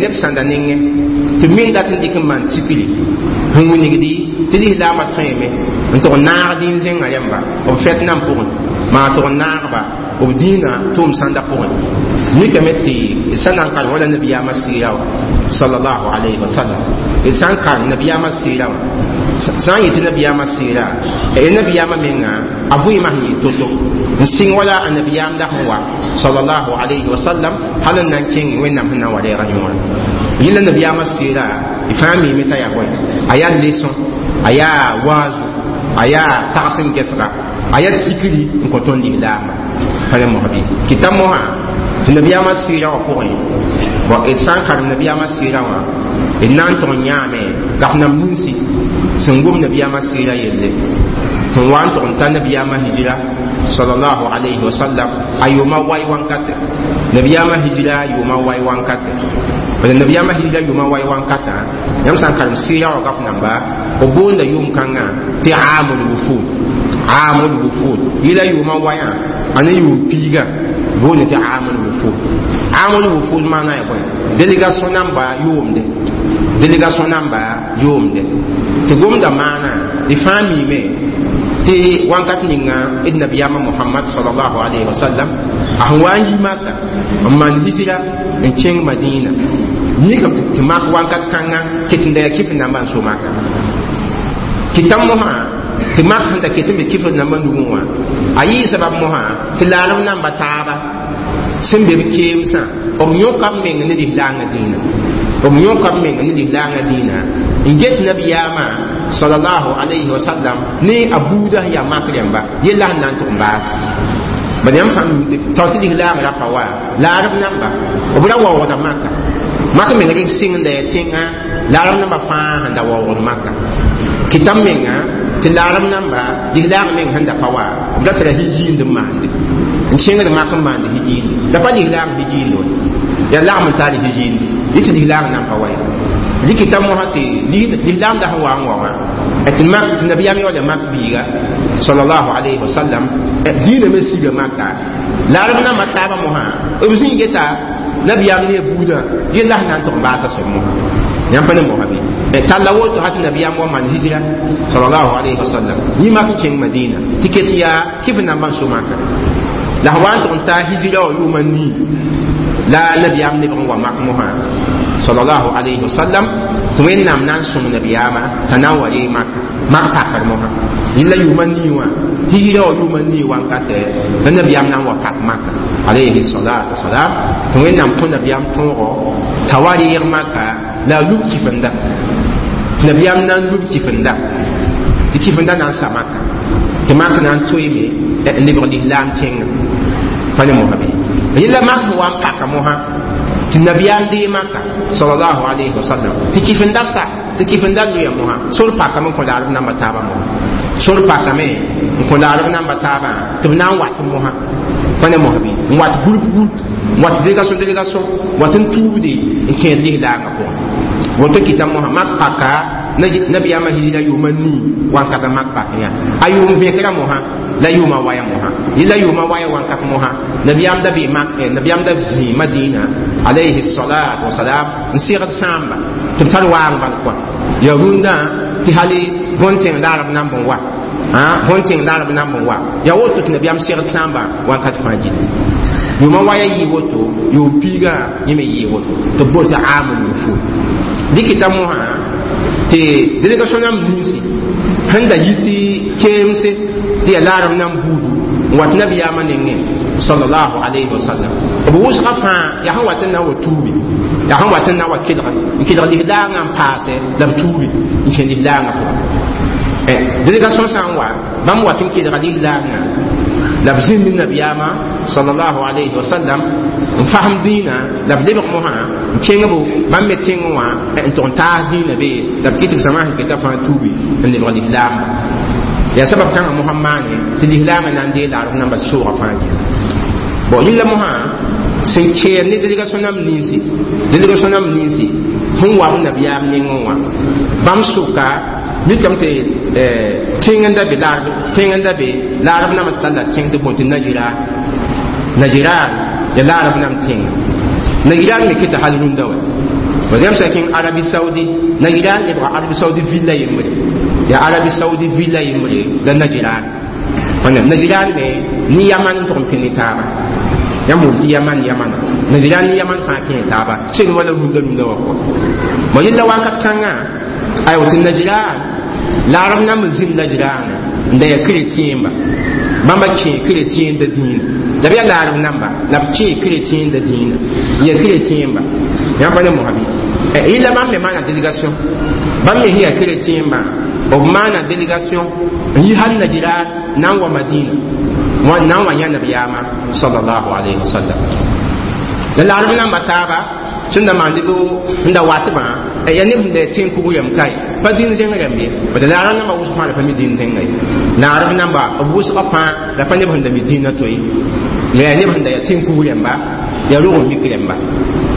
S1: neb sãnda nengẽ tɩ b min dat n dɩk n maan tikri sẽn wilgdi tɩ lislaamã tõeme n tʋg naag dĩn-zẽngã rẽmba b fɛt nam pʋgẽ maa tʋg naagba b dĩinã tʋʋm sãnda pʋgẽ mikame tɩ d sã na n karem wala nabiyaamã sɩɩra wã sallallahu alayhi wa sallam d sã n karem nabiyaamã sɩɩra wã sã n yetɩ nabiyaamã sɩɩra nabiyaamã menga a vɩɩmã sẽn yɩ to-to n sɩng wala a nabiyaamda sẽn wa sallallahu alayhi wa sallam hal n na n kẽng wẽnnaam sẽn na n wa reega yõora yẽla nabiyaamã sɩɩra y fãa miime t'a yaa bõe a yaa leçon a yaa waazu a yaa tags n gɛsga a yaa tikri n kõ tõnd lislaambã pa le mosã bɩ kɩta mosã tɩ nabiyaamã sɩɩra wã pʋgẽ bɔn d sã n karem nabiyaamã sɩɩra wã d na n tʋg n yãame gaf nam ninsi sẽn gom nabiyaamã sɩɩra yelle sẽn wa n tʋg n ta nabiyaamã hijira sallallahu alayhi wa sallam a yʋʋma wai wankate nabiyaamã hijira yʋʋma wai wankate bala nabiyaamã hijira yʋʋma wai wankatã yãmb sã n karem sɩɩra wã gaf namba b boonda yʋʋm kãngã tɩ aamul wufud aamul wufud yɩla yʋʋma wayã a ne yʋʋm piiga boonde tɩ aamul wufud aamul wufud maana ya bõe délégation namba yʋʋmde délégation namba yʋʋmde tɩ gomda maana d fãa miime tɩ wãnkat ninga d nabiyaamã mohamad salallahu alayhi wa sallam a sẽn wa n yi maka n maan hijira n kẽng madina mikame tɩ mak wãnkat kãngã ket n da yaa kɩf namba n so maka kɩta mosã tɩ mak sẽn da ket n be kɩf namba nugẽ wã a yɩɩ sabab mosã tɩ laalem namba taaba sẽn be b keemsã b yõka b meng ne lislaangã dĩinã b yõka b meng ne lislaangã dĩinã n get nabiyaamã sallallahu alayhi wa sallam ne a buudã sẽn yaa mak rẽmba yella sẽn na n tʋg n baas bad yãmb fãa tao tɩ lislaang ra pa wa laarb namba b ra waoogda maka mak meng rɩk sɩng n da yaa tẽngã laarb namba fãa sẽn da waoogd maka kɩta menga tɩ laarb namba lislaang meng sẽn da pa wa b ra tara hijiind n maande n kẽngd mak n maand hijiinde la pa lislaang hijiinde wa yaa lagm n taar hijiinde yɩ tɩ lislaang nan pa wa ye rɩkɩta mosã tɩ lislaam da sẽn wa n wa wã tɩ mak tɩ nabiyaam yaooda mak biiga sallallahu alayhi wa sallam dĩinã me siga maka laarb nambã taabã mosã b zĩig geta nabiyaam ne a buudã yella sẽn na n tʋg n baasa soab mosã yãmb pa ne mosã bɩ talla woto hat nabiyaam wa maan hijra sallallahu alayhi wa sallam yĩ mak n kẽng madina tɩ ket yaa kɩf nambã n so maka la sẽn wa n tʋg n taa hijra wã yʋʋma nii la nabiyaam lebg n wa mak mosã sallallahu alayhi wasallam tɩ Wẽnnaam na n sõng nabiyaamã t'a na n wa ree Maka mak pakr mosã yella yʋʋma nii wã hijra wã yʋʋma nii wankatɛ la nabiyaam na n wa pak Maka alayhi salatu wasalam tɩ Wẽnnaam kõ nabiyaam tõogo t'a wa reeg Maka la a lub kifenda nabiyaam na n lub kifenda tɩ kifenda na n sa Maka tɩ mak na n toeeme n lebg lislaam tẽngã pa ne mosã bɩ yella mak sẽn wa n paka mosã tɩ nabiyaam dee Maka sallallahu alayhi wa sallam tɩ kifenda sa tɩ kifenda loya mosã sor pakame n kõ laarb namba taabã mosã sor pakame n kõ laarb namba taabã tɩ b na n wat mosã pa ne mosã bɩ n wat groupe groupe n wat délégation délégation wat n tuubde n kẽed lislaangã pʋgẽ woto kɩta mosã mak paka nabiyaamã hijira yʋʋma nii wankata mak pak yã a yʋʋm vẽkra mosã la yʋʋma waya mosã yella yʋʋma waya wakat mosã nabiyaam da bee mak nabiyaam da zĩi Madina alayhi salatu wasalam n segd sãamba tɩ b tar waang bal kɔa ya rũndã tɩ hali bõn-tẽng laarb namb n wa bõn-tẽng laarb namb n wa ya woto tɩ nabiyaam segd sãamba wakat fãa gilli yʋʋma waya yɩ woto yʋʋm piigã yẽ me yɩ woto tɩ b bool tɩ aamul wufud dɩkɩta mosã tɩ délégation nam ninsi sẽn da yi tɩ keemse tɩ ya laarb nam buudu n wat nabiyaamã nengẽ sallallahu alayhi wa sallam b wʋsga fãa yaa sẽn wat n na n wa tuubi yaa sẽn wat n na n wa kelg n kelg lislaangã n paase la b tuubi n kẽ lislaangã pʋgẽ délégation sã n wa bãmb wat n kelga lislaangã la b zĩnd nabiyaamã sallallahu alayhi wa sallam n fasem dĩinã la b lebg mosã n kẽng bo bãmb me tẽngẽ wã n tʋg n taas dĩinã be la b kɩ tɩ b zãma sẽn keta fãa tuubi n lebg lislaamba yaa sabab kãngã mosã maane tɩ lislaamã na n dee laarf namba soogã fãa gilli bon yella mosã sẽn kɛɛr ne délégation nam ninsi délégation nam ninsi sẽn wa b nabiyaam nengẽ wã bãmb sʋka mikame tɩ tẽng n da be laarb tẽng n da be laarb nam talla tẽng tɩ bõe tɩ Najiran Najiran ya laarb nam tẽng Najiran me kɩta hal rũndã wa par exemple sã kẽng Arabie Saoudi Najiran lebga Arabie Saoudi villa yembre ya Arabie Saoudi villa yembre la Najiran Najiran me ni Yaman n tʋg n pẽ ne taaba yãmb wʋm tɩ Yaman Yaman Najiran ni Yaman fãa kẽ taaba seng wala rũndã rũndã wã pʋgẽ mo yella wakat kãngã aywa tɩ Najiran laarb nam n zĩnd Najiraana n da yaa chrétienba bãmba kẽ chrétien da dĩinã la b yaa laarb namba la b kẽ chrétien da dĩinã n yaa chrétienba yãmb pa ne mosã bɩ yella bãmb me maana délégation bãmb me sẽn yaa chrétienbã b maana délégation n yi hal Najiran na n wa Madina na n wa yã nabiyaamã sallallahu alayhi wa sallam la laarb namba taaba sẽn da maand bɩ n da watbã ya neb sẽn da tẽng kug yam kae pa dĩn zẽng rãmb ye bad laarb namba wʋsg fãa la pa mi dĩn zẽnga ye laarb namba b wʋsga fãa la pa neb sẽn da mi dĩnã to ye la yaa neb sẽn da yaa tẽng kug rãmba yaa rog n mik rãmba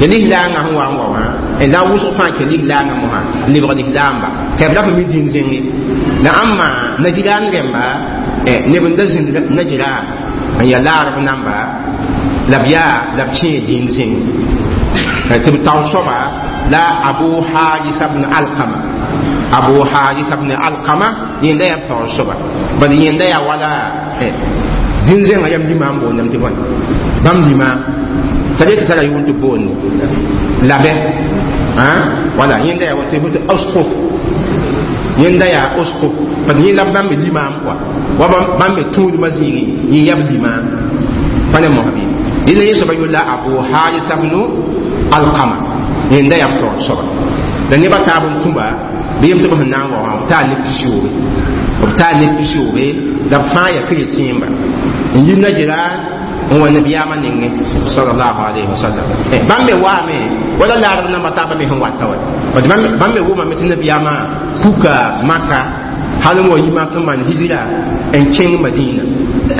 S1: ya lislaangã sẽn wa n wa wã la wʋsg fãa kẽ lislaangã mosã n lebg lislaamba tɩ b la pa mi dĩn zẽng ye la ãmma Najiran rãmba neb n da zĩnd Najiran n yaa laarb namba la b yaa la b kẽe dĩn zẽng tɩ b tao soaba la Abu Harisa bn Alkama Abu Harisa bn Alkama yẽnda yaa b taoor soaba bad yẽnda yaa wala dĩn zẽngã yam limaam boondame tɩ bõe bãmb limaam t'a le tɩ tara yʋʋr tɩ boonde labɛ wala yẽnda yaa tɩ usquf yẽnda yaa usquf bad yẽ la bãmb me limaam kɔa wa bãmb me tũudmã zĩigẽ yẽ yaa b limaam pa ne mosã bɩ yẽnda yẽ soaba yʋlla Abu Harisa bnu Alkama yẽnda yaa b taoor soaba la nebã taab n tũba bɩ yem tɩ b sẽn na n wa wã b taa neb pisiyoobe b taa neb pisiyoobe la b fãa yaa chrétienba n yi Najiran n wa nabiyaamã nengẽ sallallahu alayhi wa sallam bãmb me waame wala laarb namba taabã me sẽn wata wa bad bãmb me wʋmame tɩ nabiyaamã puka Maka hal n wa yi mak n maan hijira n kẽng Madina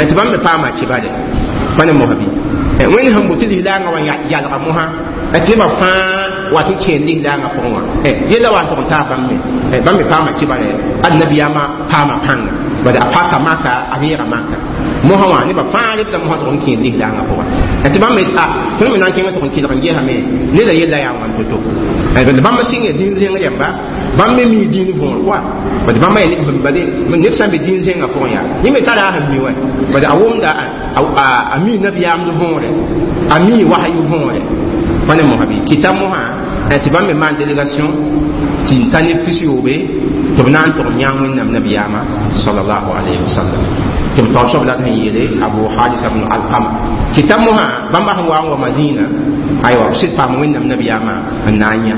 S1: tɩ bãmb me paama kibare pa ne mosã bɩ wẽnd sẽn bʋ tɩ lislaangã wa yalga mosã tɩ nebã fãa wat n kẽer lislaangã pʋgẽ wã yella wa n tʋg n taa bãmb me bãmb me paama kibare ad nabiyaamã paama pãnga bad a paka Maka a reega Maka mosã wã nebã fãa lebda mosã tʋg n kẽer lislaangã pʋgẽ tɩ bãmb me tõnd me na n kẽngã tʋg n kelg n gesame neda yella yaa wãn to-to bad bãmb sɩng yaa dĩin zẽng rãmba bãmb me mii dĩin võor kɔa bad bãmba yaa neb sã n be dĩin zẽngã pʋgẽ yaa yẽ me tara a sẽn mi wɛ bad a wʋmda a mii nabiyaamd võore a mii wahayu võore pa ne mosã bɩ kɩta mosã tɩ bãmb me maan délégation tɩ n ta neb pis-yoobe tɩ b na n tʋg n yãag Wẽnnaam nabiyaamã sallallahu alayhi wa sallam. Tɩ b taoor soab la sẽn yeele Abu Harisa bnu Alkama kɩta mosã bãmba sẽn wa n wa Madina, aywa, b sɩd paam Wẽnnaam nabiyaamã n na n yã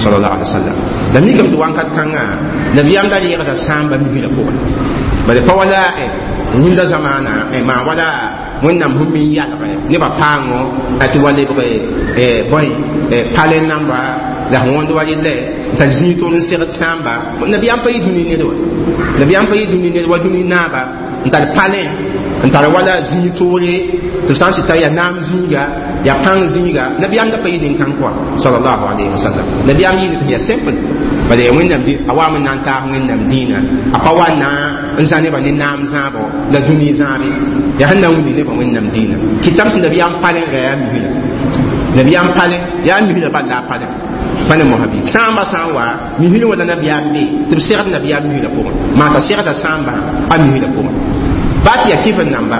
S1: sallallahu alaihi wa sallam. La mikame tɩ wãnkat kãngã nabiyaam da reegda sãamba misrã pʋgẽ, bala pa wala rũndã zamaana maa wala Wẽnnaam sẽn mi n yalge nebã paango tɩ wa lebg bõe palẽ namba la sẽn wõnd wa rɩlɛ n tar zĩig tʋʋr n segd sãamba. Nabiyaam pa yɩ dũni ned wa, nabiyaam pa yɩ dũni ned wa, dũni naaba n tar palẽ n tar wala zĩig tʋʋre tɩ b sã n sɩta yaa naam zĩiga, yaa pãng zĩiga. Nabiyaam da pa yɩ nin-kãng kɔa sallallahu alayhi wa sallam. Nabiyaam yɩ tɩ yaa simple, bala yaa Wẽnnaam a waam n na n taas Wẽnnaam dĩinã, a pa wa na n zã nebã ne naam zãabo la dũni zãabe, yaa sẽn na n wilg nebã Wẽnnaam dĩinã. Kɩtame tɩ nabiyaam palẽ ra yaa misrã, nabiyaam palẽ yaa misrã bal la a palẽ pa ne mosã bɩ sãambã sã n wa misrẽ wã la nabiyaam be tɩ b segd nabiyaam misrã pʋgẽ, maa t'a segda sãambã a misrã pʋgẽ baa tɩ yaa kɩf n namba,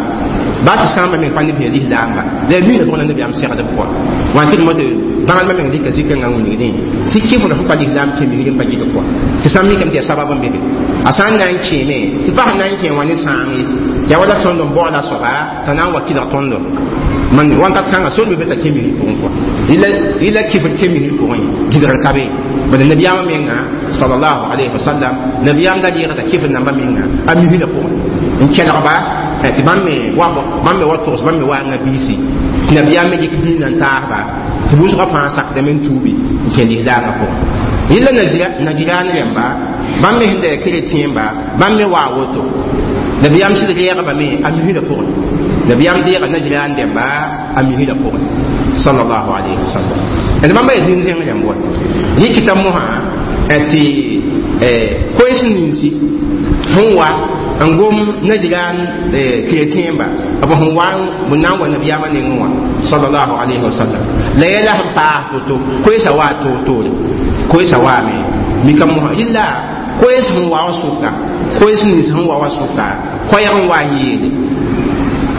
S1: baa tɩ sãambã meng pa neb sẽn lislaamba la yaa misrã pʋgẽ la nabiyaam segd b kɔa. Wã tɩ d mo tɩ bãadmã meng dɩka zikãngã wilgdẽ tɩ kɩfr sẽn pa lislaam kẽ misrẽ pa gɩd kɔa tɩ sã n mikame tɩ yaa sabab n be be a sã n na n kẽeme tɩ pa sẽn na n kẽ wã ne sãang ye yaa wala tõnd n baooda soaba t'a na n wa kɩlg tõndo man wãnkat kãngã sor be be t'a kẽ misr pʋgẽ kɔa yɩla kɩfr kẽ misr pʋgẽ gɩdgr ka be. Bala nabiyaamã menga sallallahu alayhi wa sallam, nabiyaam da reegda kɩfr nambã menga a misrã pʋgẽ n kelgba tɩ bãmb me wa bãmb me wa togs bãmb me waanga biisi tɩ nabiyaam me dɩk dĩinã n taasba tɩ wʋsgã fãa sakdame n tuubi n kẽ lislaangã pʋgẽ. Yɩla Najiraan rẽmba bãmb me sẽn da ya keretẽemba bãmb me waa woto nabiyaam sɩd reegba me a misrã pʋgẽ. Nabiyaam deega Najiraan dẽmba a misrã pʋgẽ sallallahu alayhi wa sallam. D bãmba yaa zĩm zẽng rẽmb wa rɩkɩta mosã tɩ koees ninsi sẽn wa n gom Najiraan keretẽemba b sẽn wa b na n wa nabiyaamã nengẽ wã sallallahu alayhi wa sallam la yɛla sẽn paas toto koeesã waa toor-toore koeesã waame mika mosã yɩlla koees sẽn wa wã sʋka koees nins sẽn wa wã sʋka koɛɛg n wa n yeele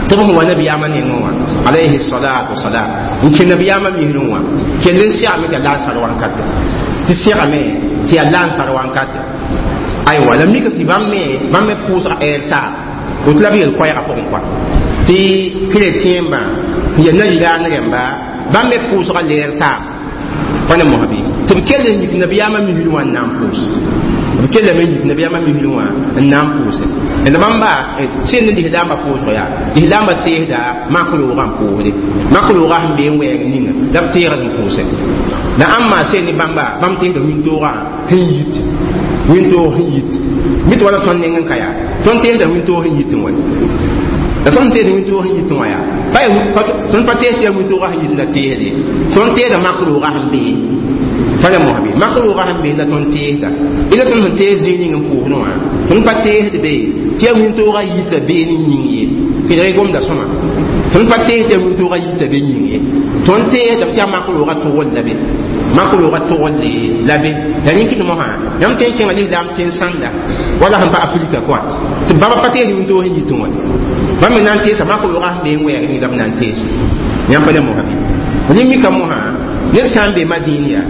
S1: tɩ b sẽn wa nabiyaamã nengẽ wã alayhi salatu wasalam n kẽ nabiyaamã misrẽ wã kell n segame tɩ yaa lansar wãnkate tɩ segame tɩ yaa lansar wãnkate aywa la mika tɩ bãmb me pʋʋsg ɛɛr taab woto la b yel koɛɛgã pʋgẽ kɔa tɩ keretẽembã n yaa Najiraan rẽmba bãmb me pʋʋsga leer taab pa ne mosã bɩ tɩ b kell n yik nabiyaamã misrẽ wã n na n pʋʋs b kellame n yik nabiyaamã misrẽ wã n na n pʋʋse d bãmba sẽn ne lislaambã pʋʋsg yaa lislaambã teesda mak roogã n pʋʋsde mak roogã sẽn be n wɛɛg ninga la b teegd n pʋʋse la ãmba sẽn ne bãmba bãmb teesda wĩntoogã sẽn yit wĩntoog sẽn yit mi tɩ wala tõnd neng n ka yaa tõnd teesda wĩntoog sẽn yit n wa la tõnd teesd wĩntoog sẽn yit n wã yaa tõnd pa tees tɩ yaa wĩntoogã sẽn yit la teesde tõnd teesda mak roogã sẽn bee pa la mosã be mak roogã sẽn bee la tõnd teesda ila tõnd sẽn tees zĩig ning n pʋʋsdẽ wã tõnd pa teesd be tɩ yaa wĩntoogã yita bee ne yĩng ye kɩdg gomda sõma tõnd pa tees tɩ yaa wĩntoogã yita be yĩng ye tõnd teesdame tɩ yaa mak roogã togl la be mak roogã togle la be la rẽn kɩt mosã yãmb tõe n kẽnga lislaam tẽn sãnda wala sẽn pa Afrika kɔa tɩ bãmba pa tees wĩntoog sẽn yitẽ wã bãmb me na n teesa mak roogã sẽn be n wɛɛg ning la b na n tees yãmb pa ne mosã bɩ rẽ mika mosã ned sã n be Madin yaa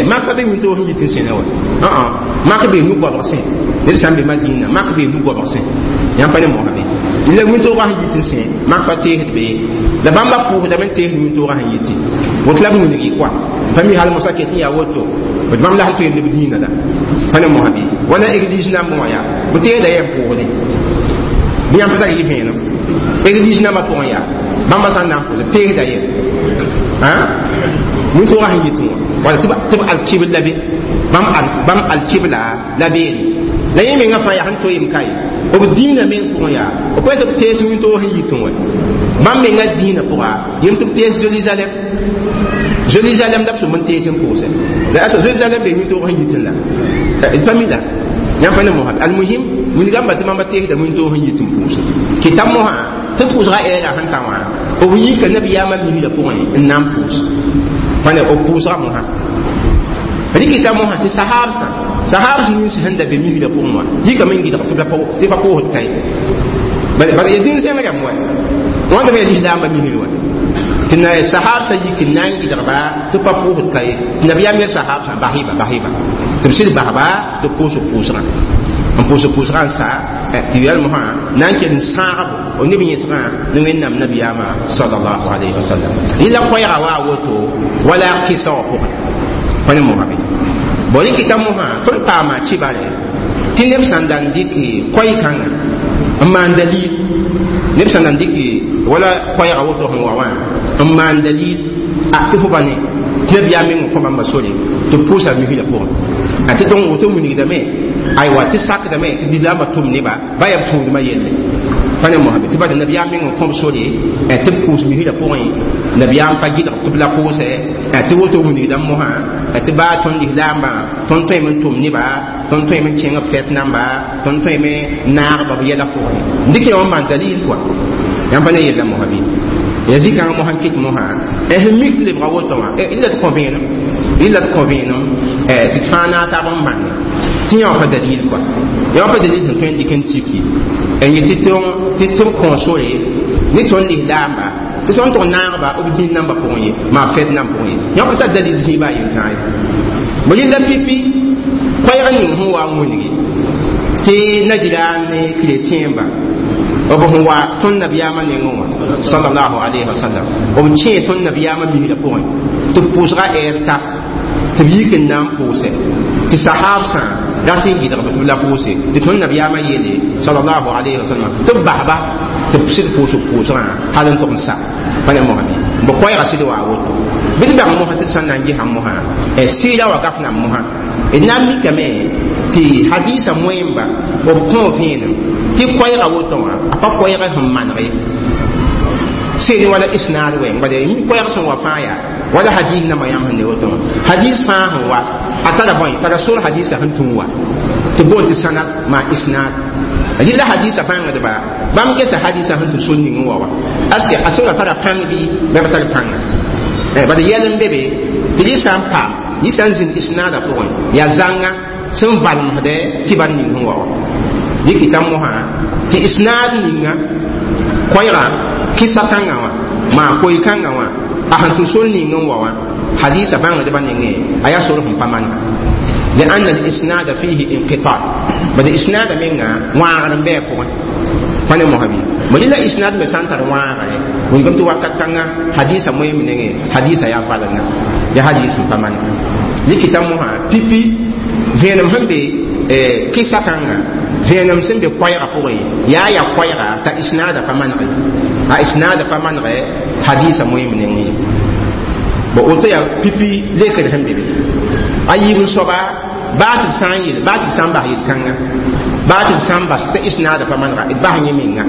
S1: mak pa be wĩntoog sẽn yit n sẽna wa mak be nu-goabg sẽ ned sã n be Madina mak be nu-goabg sẽ yãmb pa ne mosã bɩ la wĩntoogã sẽn yit n sẽ mak pa teesd be la bãmba pʋʋsdame n teesd wĩntoogã sẽn yiti woto la b wilgi kɔa pa mi hal mosã ket n yaa woto b bãmb la sẽn tõe b dĩinã la pa ne mosã bɩ wala église nambã wã yaa b teesda yɛm pʋʋsde bɩ yãmb pa tar yɩ vẽenem église nambã pʋgẽ yaa bãmba sã n na n pʋʋsd b teesda yɛm wĩntoogã sẽn yitẽ wã wala tɩ b alkibl la be bãmb alkibla la beene la yẽ mengã fãa yaa sẽn toeem ka ye b dĩinã meng pʋgẽ yaa b pa tɩ b tees wĩntoog sẽn yitẽ wã bãmb mengã dĩinã pʋga yem tɩ b tees Zerusalem Zerusalem la b sʋm n tees n pʋʋsɛ la asa Zerusalem be wĩntoog sẽn yitẽ la d pa mi la yãmb pa ne mosã almuhim wilgãmba tɩ bãmba teesda wĩntoog sẽn yit n pʋʋsɛ kɩta mosã tɩ pʋʋsga ɛɛra sẽn ta wã b yika nabiyaamã misrã pʋgẽ n na n pʋʋs pa ne b pʋʋsga mosã rɩkɩta mosã tɩ sahaabsã sahaabs nins sẽn da be misrã pʋgẽ wã yikame n gɩdg tɩ pa koosd ka ye bala ya dĩn zẽng rãmb wa wãnda me ya lislaambã misr wã Tɩ na sahab sã yik n na n gɩdgba tɩ pa pʋʋsd ka ye nabiyaam yel sahab sã basɩba basɩba tɩ b sɩd basba tɩ pʋʋs pʋʋsgã n pʋʋs pʋʋsgã n sa tɩ yɛl mosã na n kell n sãagbo neb yẽsgã ne wẽnnaam nabiyaamã salallahu alayhi wa sallam rɩla koɛɛga wa a woto wala kɩsa wã pʋgẽ pa ne mosã be bõ rɩkɩta mosã tõnd paama kibare tɩ neb sãn da n dɩk koɛɛ-kãngã n maan dalil neb sãn da n dɩk wala koɛɛga woto sẽn wa wã n maan dalil a tɩ fo pa ne tɩ nabiyaam meng n kõ bãmba sore tɩ b pʋʋsa misrã pʋgẽ a tɩ tõng woto wilgdame aywa tɩ sakdame tɩ lislaambã tʋm neba ba yaa b tũudmã yelle pa ne mosã be tɩ bala nabiyaam meng n kõb sore tɩ b pʋʋs misrã pʋgẽ nabiyaam pa gɩdg tɩ b la pʋʋsɛ tɩ woto wilgdame mosã tɩ baa tõnd lislaambã tõnd tõeme n tʋm neba tõnd tõeme n kẽng b fɛt namba tõnd tõeme n naagba b yɛla pʋgẽ dɩk yã wã n maan dalil kɔa yãmb pa ne yella mosã bɩ ya zikãngã mosã n kɩt mosã sẽn mik tɩ lebga woto wã rɩla d kõ vẽenem rɩla d kõ vẽenem tɩ d fãa naag taab n bãnge tɩ yã wã pa dalil kɔa yã wã pa dalil sẽn tõe n dɩk n tiki n yet tɩ b kõ sore ne tõnd lislaamba tɩ tõnd tʋg naagba b dĩn nambã pʋgẽ ye maa fɛd nam pʋgẽ ye yã pa tar dalil zĩiba a yel-tãa ye bõ rɩla pipi koɛɛg ning sẽn wa n wilgi tɩ najiraan ne chrétienba b sẽn wa tõnd nabiyaamã nengẽ wã salallahu alayhi wa sallam b kẽe tõnd nabiyaamã misrã pʋgẽ tɩ b pʋʋsga ɛɛr ta tɩ b yik n na n pʋʋsɛ tɩ sahab sã rat n gɩdgb tɩ b la pʋʋse tɩ tõnd nabiyaamã yeele salallahu alayhi wa sallam tɩ b basba tɩ b sɩd pʋʋs b pʋʋsgã hal n tʋg n sa pa ne mosã bɩ bõ koɛɛgã sɩd wa a woto bɩ d bãng mosã tɩ d sã n na n gesã mosã sɩɩra wa gaf nam mosã d na n mikame tɩ hadisa moẽmba b kõ vẽenem tɩ koɛɛga woto wã a pa koɛɛg sẽn maneg ye seen wala isnaad wɛɛng bala koɛɛg sẽn wa fãa yaa wala hadis nambã yãmb sẽn ne woto wã hadis fãa sẽn wa a tara bõe tara sor hadisa sẽn tũ wa tɩ boond tɩ sanad maa isnaad rɩla hadisa bãngdba bãmb geta hadisa sẽn tɩ sor ning n wa wa aske a sora tara pãng bɩ bɩ pa tar pãnga bala yɛl n be be tɩ rɩ sã n paam yɩ sã n zĩnd isnaadã pʋgẽ yaa zãnga sẽn valmsdɛ kibar ning sẽn wa wa dɩkɩta mosã tɩ isnaad ninga koɛɛga kɩsa kãngã wã maa koe-kãngã wã a sẽn tũ sor ning n wa wã hadisa bãngdbã nengẽ a yaa sor sẽn pa manega لأن الإسناد فيه انقطاع بل الإسناد منها واغر بي pʋgẽ pa ne mosã bɩ bõ la isnad me sã n tar wãagre wilgame tɩ wakat kãngã hadisa moeem nengẽ hadisa yaa valenga ya hadis n pa manega rɩkɩta mosã pipi vẽenem sẽn be kɩsa kãnga vẽenem sẽn be koɛɛgã pʋgẽ yaa ya koɛɛga t'a isnaada pa manege a isnaada pa manege hadisa moeem nengẽ ye bõ woto yaa pipi lekr sẽn be be a yiib n soaba baa tɩ d sã n yel baa tɩ d sã n bas yel-kãnga baa tɩ d sã n bas tɩ isnaada pa manega d bas yẽ menga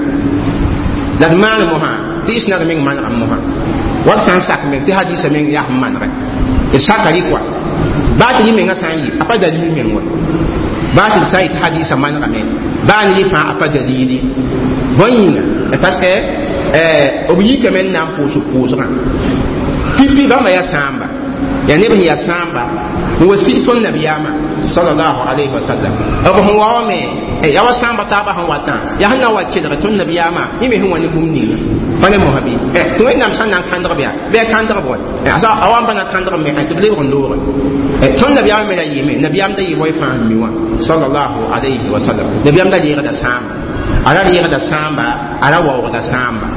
S1: la d maan mosã tɩ isnaada meng manegame mosã wa d sã n sak meng tɩ hadisa meng yaa sẽn manege d saka rɩ kɔa baa tɩ yẽ menga sã n yɩ a pa dalil meng wa baa tɩ d sã n yɩ tɩ hadisa manegame baa ne rɩ fãa a pa dalili bõe yĩnga parce que b yikame n na n pʋʋs pʋʋsgã pipi bãmba yaa sãamba yaa neb sẽn yaa sãamba n wa sig tõnd nabiyaamã salallahu alayhi wa sallam b sẽn wa wame yaa wa sãamba taabã sẽn watã yaa sẽn na n wa kelg tõnd nabiyaamã yẽ me sẽn wa ne bũmb ninga pa ne mosã bɩ tɩ wẽnnaam sã n na n kãndg bɩa bɩ a kãndg bõe a wa n pa na kãndg me tɩ b lebg n loogẽ tõnd nabiyaamã me ra yɩɩme nabiyaam da yɩ bõe fãa sẽn mi wã salallahu alayhi wa sallam nabiyaam da reegda sãamba a ra reegda sãamba a ra waoogda sãamba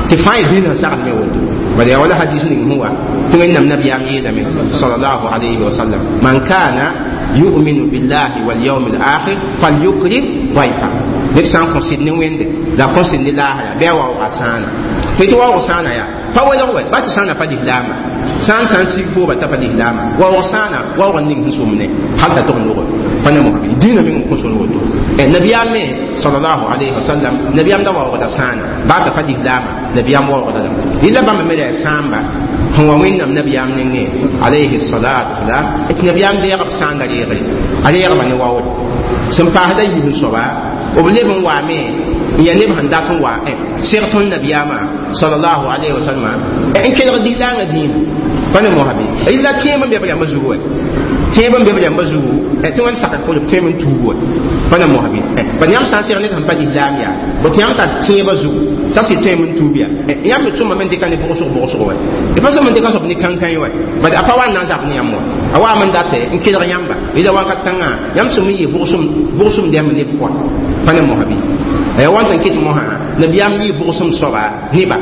S1: tɩ fãa y dĩnã sagd me woto bala yaa wala hadis ning sẽn wa tɩ wẽnnaam nabiyaam yeelame salallahu alayhi wa sallam man kana yu'minu billahi wal yawm al akhir falyukrim dayfa ned sã n kõ sɩd ne wẽnde la kõ sɩd ne laasra bɩ a waooga sãana tɩ waoog sãana yaa pa welg wɛ ba tɩ sãana pa lislaama sã n sã n sig fooba t'a pa lislaama waoog sãana waoog n ning sẽn sʋmne hal t'a tʋg n logr pa ne mosã dĩinã meng n kõ sor woto nabiyaam me salallahu alayhi wa sallam nabiyaam da waoogda sãana baa t'a pa lislaama nabiyaam waoogda lame rɩla bãmba me la yaa sãamba sẽn wa wẽnnaam nabiyaam nengẽ alayhi salatu wasalam tɩ nabiyaam deeg b sãanda reegre a reegba ne waoore sẽn paasda yiib n soaba b leb n waame n yaa neb sẽn dat n wa seg tõnd nabiyaamã salallahu alayhi wa sallam n kelg lislaangã dĩinã pa ne mosã bɩ rɩla tẽeb n be b rãmbã zugu wɛ tẽeb n be b rãmbã zugu tɩ wẽnd sakd pʋgẽ b tõeme n tuug wɛ Pa ne mosã bɩ ba yãmb sã n seg ned sẽn pa lislaam yaa bo tɩ yãmb tar tẽebã zugu t'a sɩd tõe n tuub yaa yãmb me tʋmame n dɩka ne bʋgsg wa d pa sõm n dɩka soab ne kãnkãe wa bad a pa wa n na n zab ne yãmb wa a waam n date n kelg yãmba yela wakat kãngã yãmb sẽm n yɩ bʋgsem dɛmb neb pʋga pa ne mosã bɩ ya wãn n ket mosã nabiyaam yɩ bʋgsem soaba neba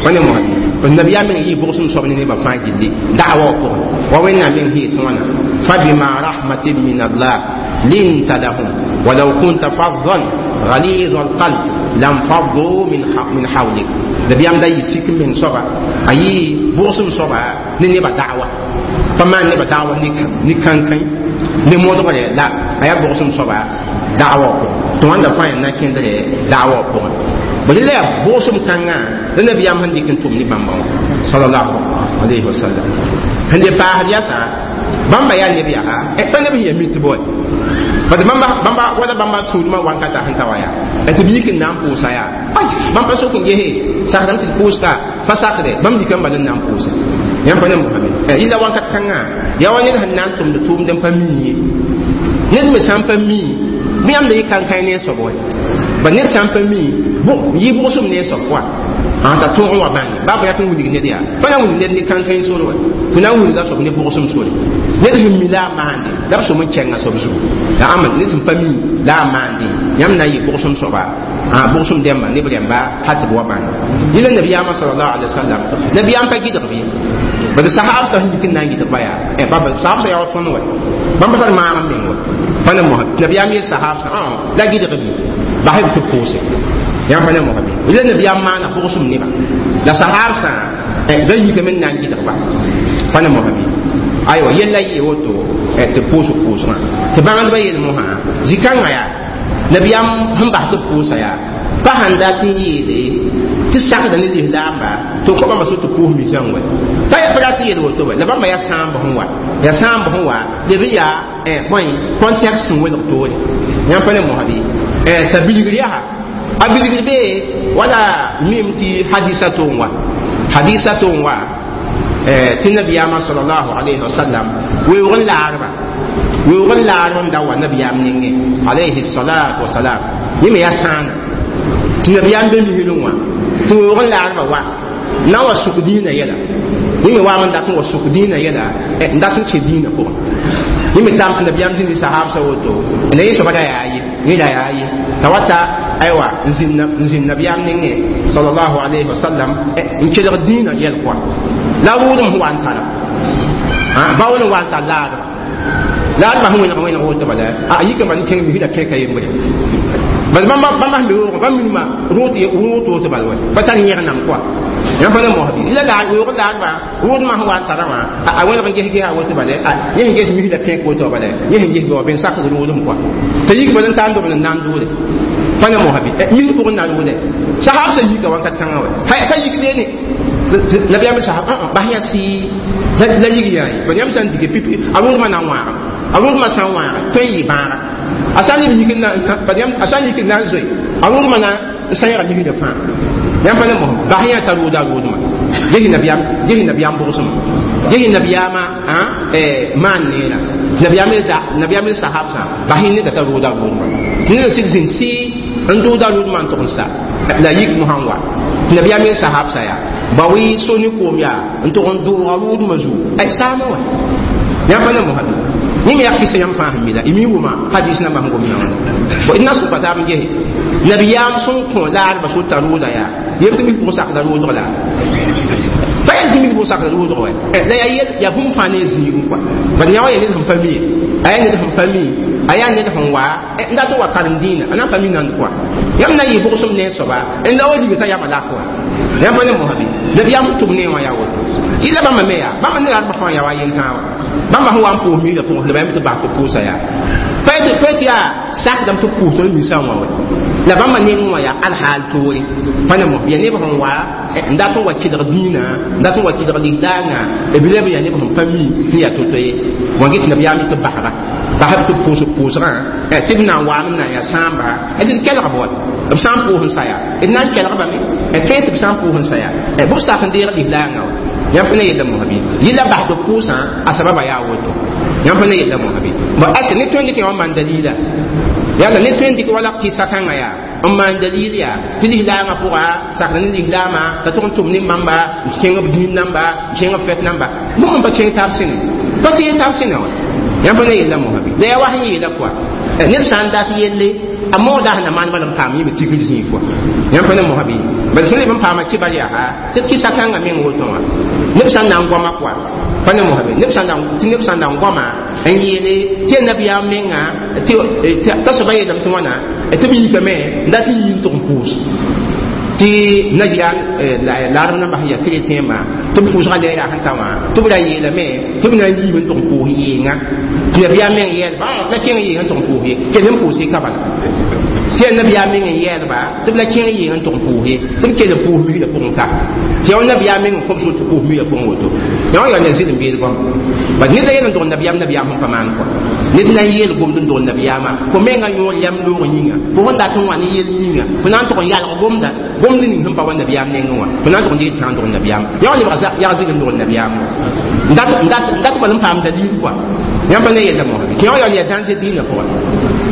S1: pa ne mosã bɩ nabiyaam meng yɩ bʋgsem soab ne nebã fãa gilli da'wa wã pʋgẽ wa wẽnnaam meng sẽn yetẽ wãna فبما رحمة من الله لنت لهم ولو كنت فظا غليظ القلب لانفضوا من حولك نبيام دا يسيك من صبا اي بوسم صبا ني با دعوة فما ني با دعوة ني كان كان ني مودغ لا ايا بوسم صبا دعوة تو عند فاين نا كندر دعوة بو بل لا بوسم كان نبيام هندي كنتم ني بامبا صلى الله عليه وسلم هندي باهر ياسا bãmba yaa neb yaa pa neb sẽn ya mit bɩ bad bãmba wala bãmba tũudmã wankata sẽn ta wa yaa tɩ b yik n na n pʋʋsa yaa bãmb pa sok n gese sakdame tɩ d pʋʋsta pa sakde bãmb dikame bal n na n pʋʋsa yãmb pa ne mosã be yɩla wakat kãngã yaa wa ned sẽn na n tʋmd tʋʋmd n pa mii ye ned me sã n pa mii bɩ yãmb da yɩ kãnkãe ne soab wa ba ned sã n pa mii yɩ bʋgsem ne soab pʋga t'a tõog n wa bãnge baa fo yaa tɩ n wilg ned yaa pa na n wilg ned ne kãnkãe sore wa fo na n wilga soab ne bʋgsem sore ned sẽn mi la a maande la b sõm n kɛnga soab zugu la ãmba ned sẽn pa mi la a maande yãmb na n yɩ bʋgsem soaba bʋgsem dɛmba neb rẽmba hal tɩ b wa bãnge yẽla nabiyaamã salallahu alaihi wasallam nabiyaam pa gɩdg bɩ bad sahab sã sẽn yik n na n gɩdg ba yaa sahab sã yaa wa tõnd wa bãmb pa tar maag n meng wa pa ne mosã nabiyaam yeel sahab sã la gɩdg bɩ basb tɩ b pʋʋse yãmb pa ne mosã bɩ yẽla nabiyaam maana bʋgsem neba la sahab sã da yikame n na n gɩdg ba pa ne mosã bɩ aywa yella yɩ woto tɩ pʋʋsg pʋʋsgã tɩ bãngdbã yel mosã zĩ-kãngã yaa nabiyaam sẽn bas tɩ pʋʋsa yaa pa sãn dat n yeele tɩ sakda ne lislaamba tɩ kõ bãmba so tɩ pʋʋs misã wa pa pa rat n yeel woto wa la bãmba yaa sãamb sẽn wa yaa sãamb sẽn wa leb n yaa bõe contexte n welg toore yãmb pa ne mosã bɩ t'a bilgr yaa a bilgr bee wala mim tɩ hadisa to n wa hadisa to n wa tɩ nabiyaamã salallahu alayhi wasallam weoog n laarba weoog n laarb n da wa nabiyaam nengẽ alayhi salatu wasalam yẽ me yaa sãana tɩ nabiyaam be misrẽ wã tɩ weoog n laarba wa na wa sʋk dĩinã yɛla yẽ me waam n dat n wa sʋk dĩinã yɛla n dat n kẽ dĩinã pʋgẽ yẽ me tam tɩ nabiyaam zĩndi sahabsã woto la yẽ soaba ra yaa ye yẽ ra yaa ye t'a wata aywa n zĩnd nabiyaam nengẽ salallahu alayhi wasallam n kelg dĩinã yɛl kɔa la rʋʋdem sẽn wa n tara baool n wa n tar laadba laadba sẽn wẽneg wẽneg woto bala a yika bal n kẽng misra kẽka yembre bal bãmba sẽn be roogẽ bãmb minima rʋʋt woto bal wa pa tar yẽgenam kɔa yãmb pa ne mos bɩ la weoog laadba rʋʋdmã sẽn wa n tara wã a wẽneg n ges gesa woto bala yẽ sẽn ges misra kẽk woto bala yẽ sẽn ges bɩ wa ben sakd rʋʋdem kɔa t'a yik bal n tar n dobl n na n dʋʋde pa ne mosã bɩ mis pʋgẽ na rʋʋde sahab sã yika wakat kãngã wa ka yik beene nabiyaam sahab bas yã sɩ la yig yaa ye yãmb sã n dike pipi a rʋʋdmã na n wãagame a rʋʋdmã sã n wãaga tõe n yɩ bãaga a sã n leb yik a sã n yik n na n zoe a rʋʋdmã na n sãyga misrã fãa yãmb pa ne mosã bas yã t'a rʋʋda a rʋʋdmã ges nabiyaam bʋgsmã ges nabiyaamã maan neera nabiyaam el sahab sã bas yẽ neda t'a rʋʋda a rʋʋdmã neda sɩd zĩnd sɩ n dʋʋda a rʋʋdmã n tʋg n sa la yik mosã n wa nabiyaam el sahab sã yaa ba wi so ne koom yaa n tʋg n dʋʋga rʋʋdmã zugu ay saama wa yãmb pa ne mosã bɩ yẽ me yaa kɩsa yãmb fãa sẽn mi la y mi wʋma hadis nambã sẽn gom yã wã bo d na sʋka taab n gese nabiyaam sẽn kõ laadbã sota rʋʋda yaa yem tɩ mis pʋgẽ sakda rʋʋdg la pa yaa zĩ mis pʋgẽ sakda rʋʋdg wa la yaa yel yaa bũmb fãa ne zĩigẽ kɔa bad yã wã yaa ned sẽn pa mi a yaa ned sẽn pa mi a yaa ned sẽn wa n dat n wa karem dĩinã a na n pa mi nand kɔa yãmb na n yɩ bʋgsem ne soaba n la wa liga t'a yama lak wa yãmb pa ne mosã bɩ nabiyaam sẽn tʋm ne wã yaa woto yɩla bãmba me yaa bãmba ne laadbã fãa yaa wa yentãa wa bãmba sẽn wa n pʋʋs misrã pʋgẽ la yãmb tɩ bas tɩ pʋʋsa yaa pa tɩ yaa sakdame tɩ pʋʋs tõnd misã wã wa la bãmba neng wã yaa alhaal toore pa ne mos yaa neb sẽn wa n dat n wa kɩdg dĩinã n dat n wa kɩdg lislaangã b leb yaa neb sẽn pa mi sẽn yaa to-to ye wã get nabiyaam tɩ basba basb tɩ pʋʋsg pʋʋsgã tɩ b na n waam n na n yaa sãamba d kelg b wa b sã n pʋʋs n sa yaa d na n kelgbame tõe tɩ b sã n pʋʋs n sa yaa bʋ sak n deeg lislaangã wa yãmb pa ne yella mosã bɩ yɩla bas tɩ pʋʋsã a sababa yaa woto yãmb pa ne yella mosã bɩ bon ase ne tõe n dɩk yã wã maan dalila Yala ne tõe n dɩk wala kɩsa kãngã yaa n maan dalil yaa tɩ lislaangã pʋga sakd ne lislaamã t'a tʋg n tʋm ne bãmba n kẽng b dĩin namba n kẽng b fɛt namba bũmb n pa kẽng taab sẽne pa tɩ taab sẽne wã yãmb pa ne yella mosã bɩ la yaa wa sẽn yeela kɔa ned sã n dat yelle a mooda sẽn na maan bala n paam yẽme tigr zĩig kɔa yãmb pa ne mosã bɩ bala tõnd leb n paama kɩbar yaa tɩ kɩsa kãngã meng woto wã neb sã n na n goama kɔa pa ne mosã bɩ neb sã n na n goama n yeele tɩ ya nabiyaam menga t'a soaba yeelame tɩ wãna tɩ b yikame n dat n yi n tʋg n pʋʋs tɩ najiran laadb nambã sẽn yaa keretẽembã tɩ b pʋʋsgã leera sẽn ta wã tɩ b ra yeelame tɩ b na n yiime n tʋg n pʋʋs yeenga tɩ nabiyaam meng yɛɛlba la kẽng yeeng n tʋg n pʋʋs ye kell n pʋʋs ka bala tɩ yaa nabiyaam meng n yɛɛlba tɩ b la kẽng yeeng n tʋg n pʋʋs ye tɩ b kell n pʋʋs misrã pʋgẽ ka tɩ yaa nabiyaam meng n kõb sor tɩ pʋʋs misrã pʋgẽ woto yaa wã yaa ne zɩlem beed goam bad ned la yel n dog nabiyaam nabiyaam sẽn pa maan kɔa ned na n yeel gomd n dog nabiyaamã fo menga yõor yam loog yĩnga fo sẽn dat n wa ne yel yĩnga fo na n tʋg n yalg gomda gomd ning sẽn pa wa nabiyaam nengẽ wã fo na n tʋg n dɩg tãag dog nabiyaam yaa wã lebg yag zɩg n dog nabiyaam wã n dat bal n paam dalil kɔa yãmb pa ne yella mosã bɩ tɩ yã wã yaool yaa dãnse dĩinã pʋga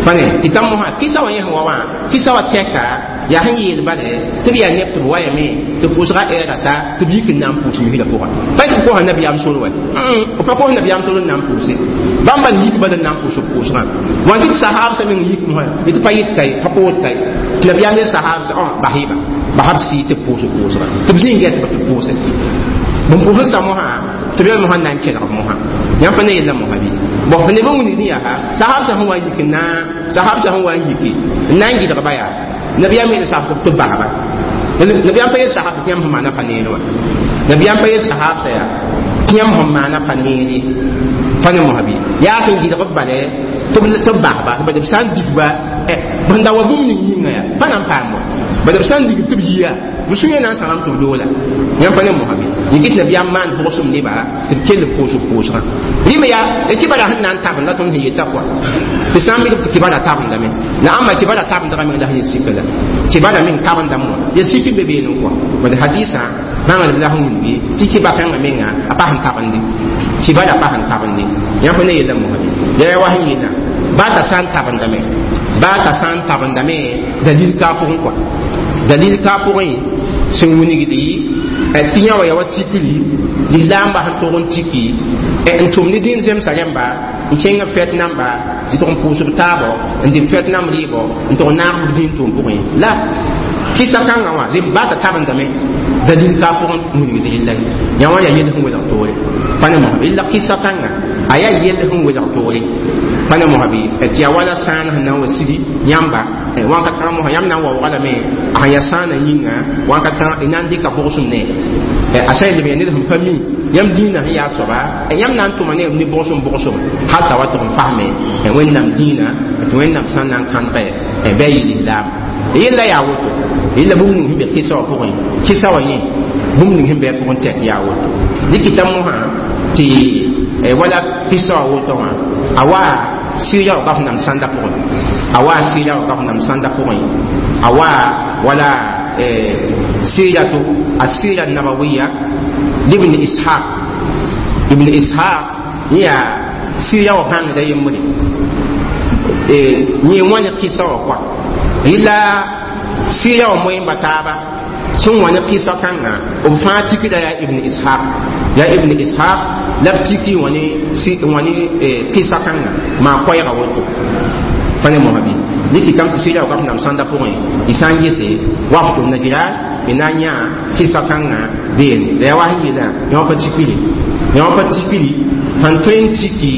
S1: pa ne tɩ tãm mosã kɩsa wã yẽ sẽn wa wã kɩsa wã tɛka yaa sẽn yeel bale tɩ b yaa neb tɩ b wayame tɩ pʋʋsga ɛɛra ta tɩ b yik n na n pʋʋs misrã pʋga pa tɩ b kosa nabiyaam sor wɛ b pa kos nabiyaam sor n na n pʋʋse bãmb bal yik bal n na n pʋʋs b pʋʋsgã wã tɩ sahaabsã meng yik mosã tɩ pa yɩt ka ye pa kood ka ye tɩ nabiyaam yel sahaabsã basɩba basb sɩɩ tɩ b pʋʋs b pʋʋsgã tɩ b zĩig gɛt tɩ b pʋʋse bõn pʋʋs n sa mosã tɩ b yel mosã n na n kelg mosã yãmb pa ne yella mosã bɩ bõn f neb n wilgd yaa sahaabsã sẽn wa n yik n na sahaabsã sẽn wa n yiki n na n gɩdgba yaa nabiyaam yel sahab tɩ basba nabiyaam pa yel sahab tɩ yãmb sẽn maana pa neere wã nabiyaam pa yel sahabsã yaa tɩ yãmb sẽn maana pa neere pa ne mosã bɩ yaa sẽn gɩdg b bale tɩ b basba bad b sã n digba b sẽn da wa bũmb ning yĩnga yaa pa na n paam wa bad b sã n digb tɩ b yia b sũyã na n sãgam tɩ b loola yãmb pa ne mosã bɩ yẽ nabiyaam maan bʋgsem neba tɩ b kell b pʋʋs b pʋʋsgã rɩme yaa kibara sẽn na n tabenda tõnd sẽn yeta kɔa tɩ sã n mik tɩ kibara tabendame la ãmba kibara tabendgã meng la sẽn sik la kibara meng tabendame wã ya sik n be beene kɔa bad hadisã bãngdb la sẽn wilgi tɩ kiba kãngã menga a pa sẽn tabende kibara pa sẽn tabende yãmb pa ne yella mosã bɩ la yaa wa sẽn yeelã baa t'a sã n tabendame baa t'a sã n tabendame dalil ka pʋgẽ kɔa dalil ka pʋgẽ sẽn wilgdi tɩ yã wa yaa wa tikri lislaambã sẽn tʋg n tiki n tʋm ne dĩin zemsa rẽmba n kẽng b fɛt namba n tʋg n pʋʋs b taabɔ n dɩ b fɛt namb rɩɩbɔ n tʋg n naag b dĩin tʋʋm pʋgẽ la kɩsa kãngã wã baa t'a tabendame dalil ka pʋgẽ wilgd rɩlla ye yã wã yaa yell sẽn welg toore pa ne mosã rɩlla kɩsa kãngã a yaa yell sẽn welg toore pa ne mosã bɩ tɩ yaa wala sãan sẽn na n wa sidi yãmba wãn-ka-tãga mosã yãmb na n waoogã lame a sẽn yaa sãanã yĩnga wãn-ka-tãga na n dɩka bʋgsem ne a sã n leb yaa ned sẽn pa mi yãmb dĩinã sẽn yaa soaba yãmb na n tʋma ne ne bʋgsem bʋgsem hal t'a wa tʋg n fasme wẽnnaam dĩinã tɩ wẽnnaam sã n na n kãnegɛ bɩ a yɩ lislaam yella yaa woto yella bũmb ning sẽn be kɩsa wã pʋgẽ kɩsa wã yẽ bũmb ning sẽn be a pʋgẽ tɛk yaa woto dɩkɩta mosã tɩ wala kɩsa wã woto wã a wa sɩɩra wã ka f nam sãnda pʋgẽ a wa sɩɩra wã ka f nam sãnda pʋgẽ a wa wala sɩɩrato asɩɩra nabawiya libn ishaq ibn ishaq yẽ yaa sɩɩra wã bãngda yembre yẽ wã ne kɩsa wã kɔa rɩla sɩɩra wã moẽmba taaba sẽn wã ne kɩsa kãngã b fãa tikda yaa ibn ishaq yaa ibn ishaq la b tiki wã ne kɩsa kãngã maa koɛɛga woto pa ne mosã bɩ dɩkɩtame tɩ sɩɩra wã ka f nam sãnda pʋgẽ y sã n gese wafd najran y na n yã kɩsa kãngã beene la yaa wa sẽn yeelã yã wã pa tikiri yã wã pa tikiri sãn tõe n tiki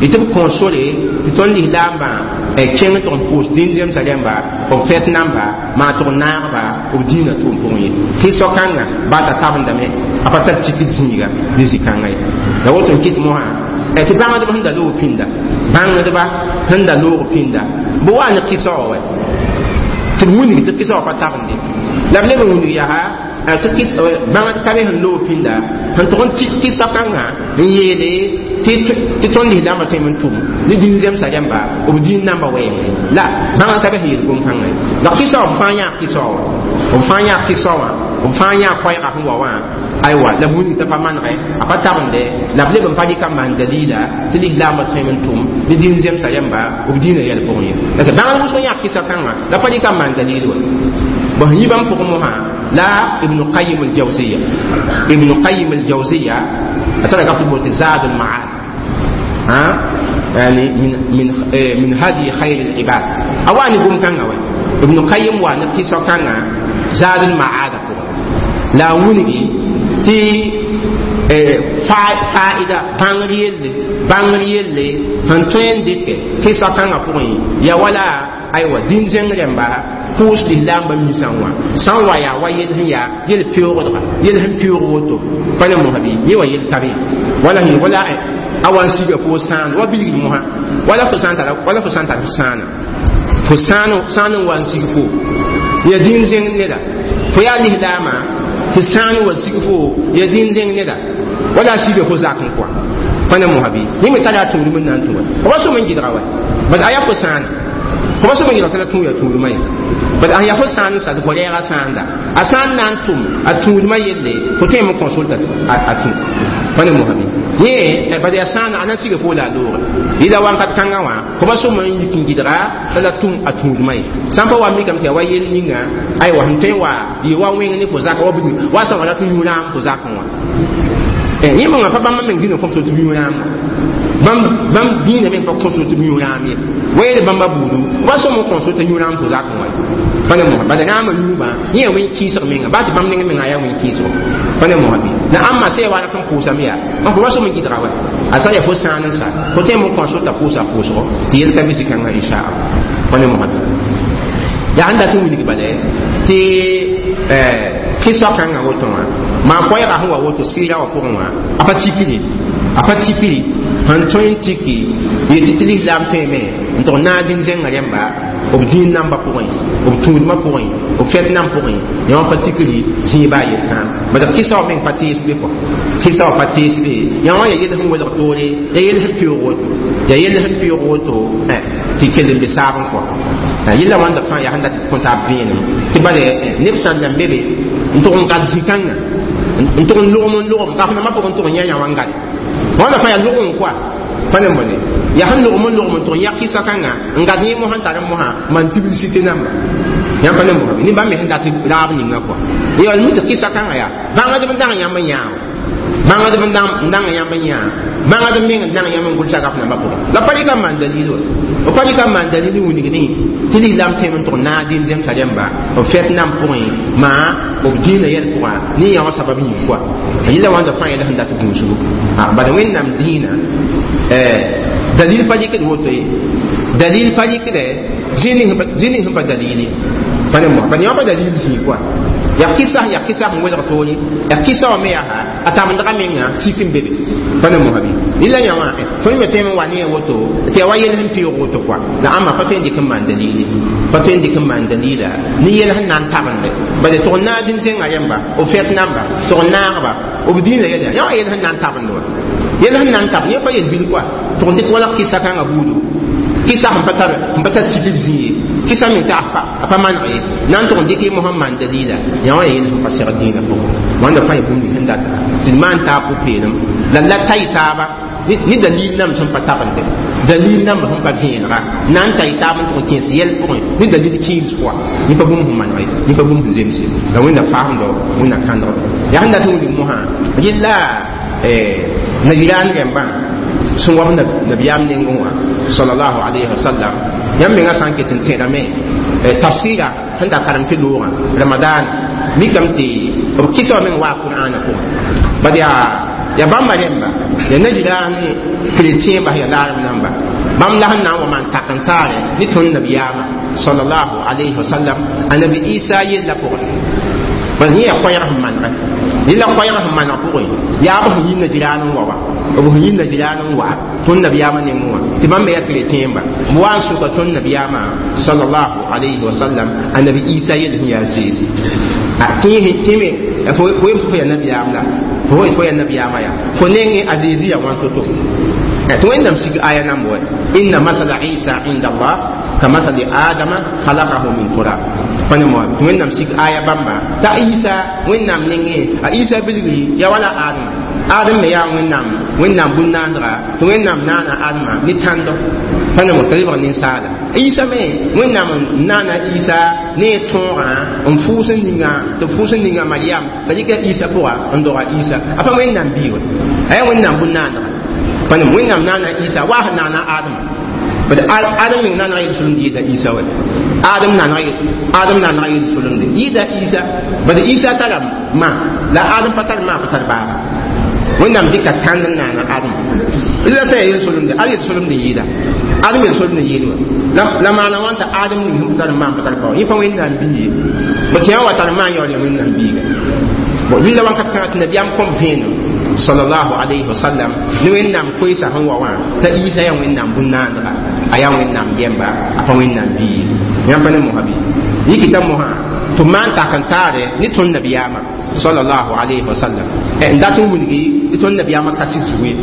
S1: y tɩ b kõ sore tɩ tõnd lislaambã kẽng tʋg n pʋʋs dĩin zemsa rẽmba b fɛt namba maa tʋg n naagba b dĩinã tʋʋm pʋgẽ ye kɩsɔ kãngã baa t'a tabendame a pa tar tikd zĩiga ne zĩ-kãngã ye la woto n kɩt mosã tɩ bãngdb sẽn da loog pĩnda bãngdba sẽn da loog pĩnda bɩ wa ne kɩsa wã wɛ tɩ b wilg tɩ kɩsa wã pa tabende la b leb n wilg yaa tɩ bãngd ka be sẽn loog pĩnda sẽn tʋg n tik kɩsa kãngã n yeele tɩ tõnd lislaambã tõeme n tʋm ne dĩin zemsa rẽmba b dĩin namba wɛɛngẽ la bãngd ka be sẽn yel gom-kãngã ye la kɩsa wã b fãa yãag kɩsa wã b fãa yãag kɩsa wã B fãa yã koɛɛgã sẽn wa wã aywa la b wilg t'a pa manegɛ a pa tabende la b leb n pa dɩka n maan dalila tɩ lislaambã tõeme n tʋm ne dĩin zemsa rẽmba b dĩinã yɛl pʋgẽ ye la tɩ bãngd wʋsg yã kɩsa kãngã la pa dɩka n maan dalil wa bõn yĩ bãmb pʋgẽ mosã la Ibn Qayyim al-Jawziya Ibn Qayyim al-Jawziya a tara kap tɩ bool tɩ Zad al-Ma'ad ha yani min hadi khayr al-ibad a wa ne gom kãngã wa Ibn Qayyim wa ne kɩsa kãngã Zad al-Ma'ad pʋgẽ la a wilgi tɩ fa'ida bãngr yelle sẽn tõe n dɩkɛ kɩsa kãngã pʋgẽ ya wala aywa dĩn zẽng rẽmba pʋʋs lislaambã minsã wã sã n wa yaa wa yel sẽn yaa yel peoogdga yel sẽn peoog woto pa ne mosã bɩ yẽ wa yel ka be wala wala a wa n siga fo sãan wa bilgd mosã wala fo sã n tar f sãana fo sãan n wa n sig fo ya dĩn zẽng neda fo yaa lislaamã tɩ sãan wa sig fo ya dĩn zẽng neda wala a siga fo zak n kɔa pa ne mosã bɩ yẽ me tara a tũudum n na n tũ wa f wa sõm n gɩdga wa bad a yaa fo sãana fo pa sõm n gɩdg tɩ la tũ ya tũudmã ye bad a yaa fo sãan n sa tɩ fo rɛɛga sãanda a sã n na n tʋm a tũudmã yelle fo tõeme n consulta a tũ pa ne mosã bɩ yẽ bad yaa sãana a na n siga fo la a loore yɩla wãnkat kãngã wã fo pa sõm n yik n gɩdga t'a la tũm a tũudmã ye sã n pa wa mikame tɩ yaa wa yel ninga aywa sẽn tõe n wa yɩ wa wẽng ne fo zaka wa bilg wa sã wa rat n yũ rãam fo zakẽ wã yẽ mengã pa bãmb meng dĩnã kõm tɩ b yũ rãam bãmb dĩinã meng pa kõs tɩ b yũ rãam ye wa yeel bãmba buudu wa sõm n kõs tɩ yũ rãam fo zakẽ wã pa ne mosã bala rãamã yũubã yẽ yaa wẽn-kɩɩsg menga baa tɩ bãmb neng mengã yaa wẽn-kɩɩsgo pa ne mosã bɩ la ãmba sã ya wa rat n pʋʋsame yaa n fo wa sõm n gɩdga wa a sã yaa fo sãan n sa fo tõe n kõs t'a pʋʋsa pʋʋsgo tɩ yel ka be zĩ-kãngã inchallah pa ne mosã bɩ yaa n dat n wilg bala tɩ kɩsa kãngã woto wã maa koɛɛga sẽn wa woto sɩɩra wã pʋgẽ wã a pa tikri a pa tikri sẽn tõe n tiki yetɩ tɩ lislaam tõeme n tʋg naag dĩn zẽngã rẽmba b dĩin namba pʋgẽ b tũudmã pʋgẽ b fɛt nam pʋgẽ yã wã pa tikri zĩiba a yel-kãam bad kɩsa wã meng pa tees be kɔ kɩsa wã pa tees be yã wã ya yel sẽn welg toore ya yel sẽn peoog woto ya yel sẽn peoog woto tɩ kell n be saab n kɔ yella wãnda fãa yaa sẽn dat kõ taab vẽenem tɩ bala neb sã n nan be be n tʋg n gad zĩ-kãngã n tʋg n logm n logm ka f nambã pʋgẽ n tʋg n yã yã wã n gade wãnda fãa yaa log n koa pa ne bõne yaa sẽn logm n logm n tʋg n yã kɩsa kãngã n gad yẽ mosã n tar n mosã maan publicité namba yãmb pa ne mosã ne bãmb me sẽn dat raab ninga kɔa ya mi tɩ kɩsa kãngã yaa bãngdb n dang yãmb n yãa bãngdb n dang yãmb n yãa bãngd meng n dang yãmb n gʋlsa gaf nambã pʋgẽ la pa rɩka n maan dalil wa b pa rɩka n maan dalil n wilgdẽ tɩ lislaam tõem n tʋg naag dĩin zemsa rẽmba b fɛt nam pʋgẽ maa b dĩinã yɛl pʋgã ne yã wã sabab yĩng koa yella wãnda fãa yɛla sẽn dat gũusgo bala wẽnnaam dĩinã dalil pa rɩkd woto ye dalil pa rɩkdɛ zĩ ning sẽn pa dalili pa ne mosã bala yã wã pa dalil zĩig koa yaa kɩsa sẽn welg toore yaa kɩsa wã me yaa a tabendga menga sik n be be pa ne mosã bɩ rɩla yã wã tõnd me tõem n wa ne a woto tɩ yaa wa yel sẽn peoog woto koa la ãmba pa tõe n dɩk n maan dalili pa tõe n dɩk n maan dalila ne yel sẽn na n tabende bala tʋg n naag dĩn zẽngã rẽmba b fɛt namba tʋg n naagba b dĩinã yɛla yã wã yel sẽn na n tabend wa yel sẽn na n tabend yẽ pa yel bil koa tʋg n dɩk wala kɩsa kãngã buudu kɩsa sẽn pa tar tikr zĩ ye kɩsa me t'a a pa maneg ye na n tʋg n dɩk y mosã n maan dalila yã wã ya yel sẽn pa segd dĩinã pʋgẽ wãnda fãa ya bũmb ning sẽn data tɩ d maan taab pʋ-peelem la tay taaba ni dalil nam sẽn pa tabende dalil namba sẽn pa vẽenega na n tay taab n tʋg n kẽes yɛl pʋgẽ ni dalil kɩɩms pʋga yẽ pa bũmb sẽn maneg ye yẽ pa bũmb sẽn zems ye la wẽnna faamdo wẽnna kãndgdo yaa sẽn dat n wilg mosã yella nigerian rẽmbã sẽn wab nabiyaam nengẽ wã sallallahu alayhi wa sallam yãmb mengã sã n ket n tẽedame tafsira sẽn da karem tɩ loogã ramadan mikame tɩ b kɩsa wã meng waa qur'ana pʋgẽ bad yaa bãmba rẽmba ya nigerian chrétien bas ya laarem namba bãmb la sẽn na n wa maan tak n taare ne tõnd nabiyaamã sallallahu alayhi wa sallam anabi Isa yella pʋgẽ bal yẽ yaa koɛɛg sẽn manegɛ yella koɛɛg sẽn maneg pʋgẽ yaa b sẽn yi nigerian n wa wa b sẽn yi nigerian n wa tõnd nabiyaamã nengẽ wã tɩ bãmb me yaa chrétien ba b wa n sʋka tõnd nabiyaamã sallallahu alayhi wa sallam anabi Isa yell sẽn yaa Zeezi tɩ me fo yem tɩ fo yaa nabiyaam la fo yaa nabiyaamã yaa fo nengẽ a Zeezi yaa wãn to-to tɩ wẽnnaam sig aya namb wa inna masala Isa inda Allah كمثل آدم خلقه من تراب. فنمو وين نمسك آية بامبا تا عيسى وين نام نينغي عيسى بلغي يا ولا آدم آدم يا وين نام وين نام بناندرا وين نام نانا آدم نتاندو فنمو تلبر نسالا عيسى مي وين نام نانا عيسى ني تورا ان فوسن نينغا تفوسن نينغا مريم تلك عيسى بوا اندورا عيسى أفا وين نام بيو أي وين نام بناندرا فنمو وين نام نانا عيسى واه نانا آدم بس آدم من نانا يدخلون دي عيسى وين آدم نانا آدم نانا يدخلون دي عيسى بس عيسى ترى ما لا آدم فتر ما فتر بابا وين نام ديك تان نانا آدم إلا سيدخلون دي آدم يدخلون دي آدم يدخلون دي لما أنا وانت آدم نهم فتر ما فتر بابا يفهم وين نام بي بس يا وتر ما يوري وين نام بي وإلا وان كانت النبي أم كم فين صلى الله عليه وسلم نوين نام كويسة هو وان تأيسا يا وين نام بنان لا أيا وين نام جنبا أبا وين نام بي يام بني مهابي يكي تموها تمان تاكنتاري نتون نبي أما صلى الله عليه وسلم إن داتو مني نتون نبي أما كاسي زوي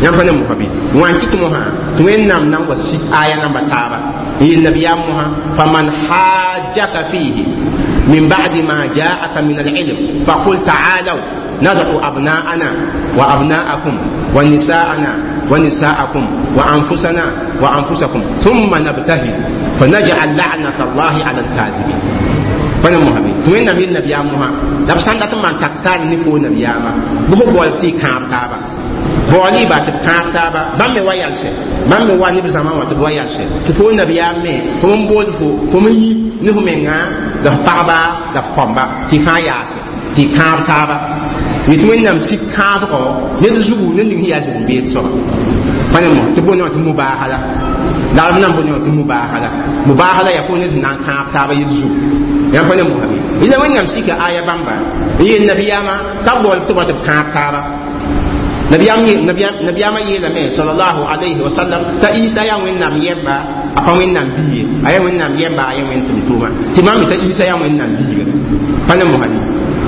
S1: يام بني مهابي وان كي تموها توين نام نام وسيت آية نام بتابا النبي أمها فمن حاجك فيه من بعد ما جاءك من العلم فقل تعالوا ندعو أبناءنا وأبناءكم ونساءنا ونساءكم وأنفسنا وأنفسكم ثم نبتهل فنجعل لعنة الله على الكاذبين. فأنا مهبي توين نبي النبي أمها لبسان دات من تكتار نفو نبي أما بهو بولتي كاب تابا بولي بات كاب تابا بام ويالش بام واني بزمان وات ويالش تفو نبي أمي فم بول فو فم يي نفو منغا ده بابا ده كومبا تفاياس تكاب تابا يتمنى نم سيك كافو يدزو نندي هي أزن بيت سوا فأنا مو تبون نوت مباهلة لا نم بون نوت مباهلة مباهلة يكون نان كاف تابا يدزو يام فأنا مو هبي إذا وين نم سيك آية بامبا هي النبي أما تبغى تبغى تكاف تابا نبي أم نبي نبي أما يلمي صلى الله عليه وسلم تأيسا يا وين نم يبا أبا وين نم بي أيا وين نم يبا أيا وين تمتوما تمام تأيسا يا وين نم بي فأنا مو هبي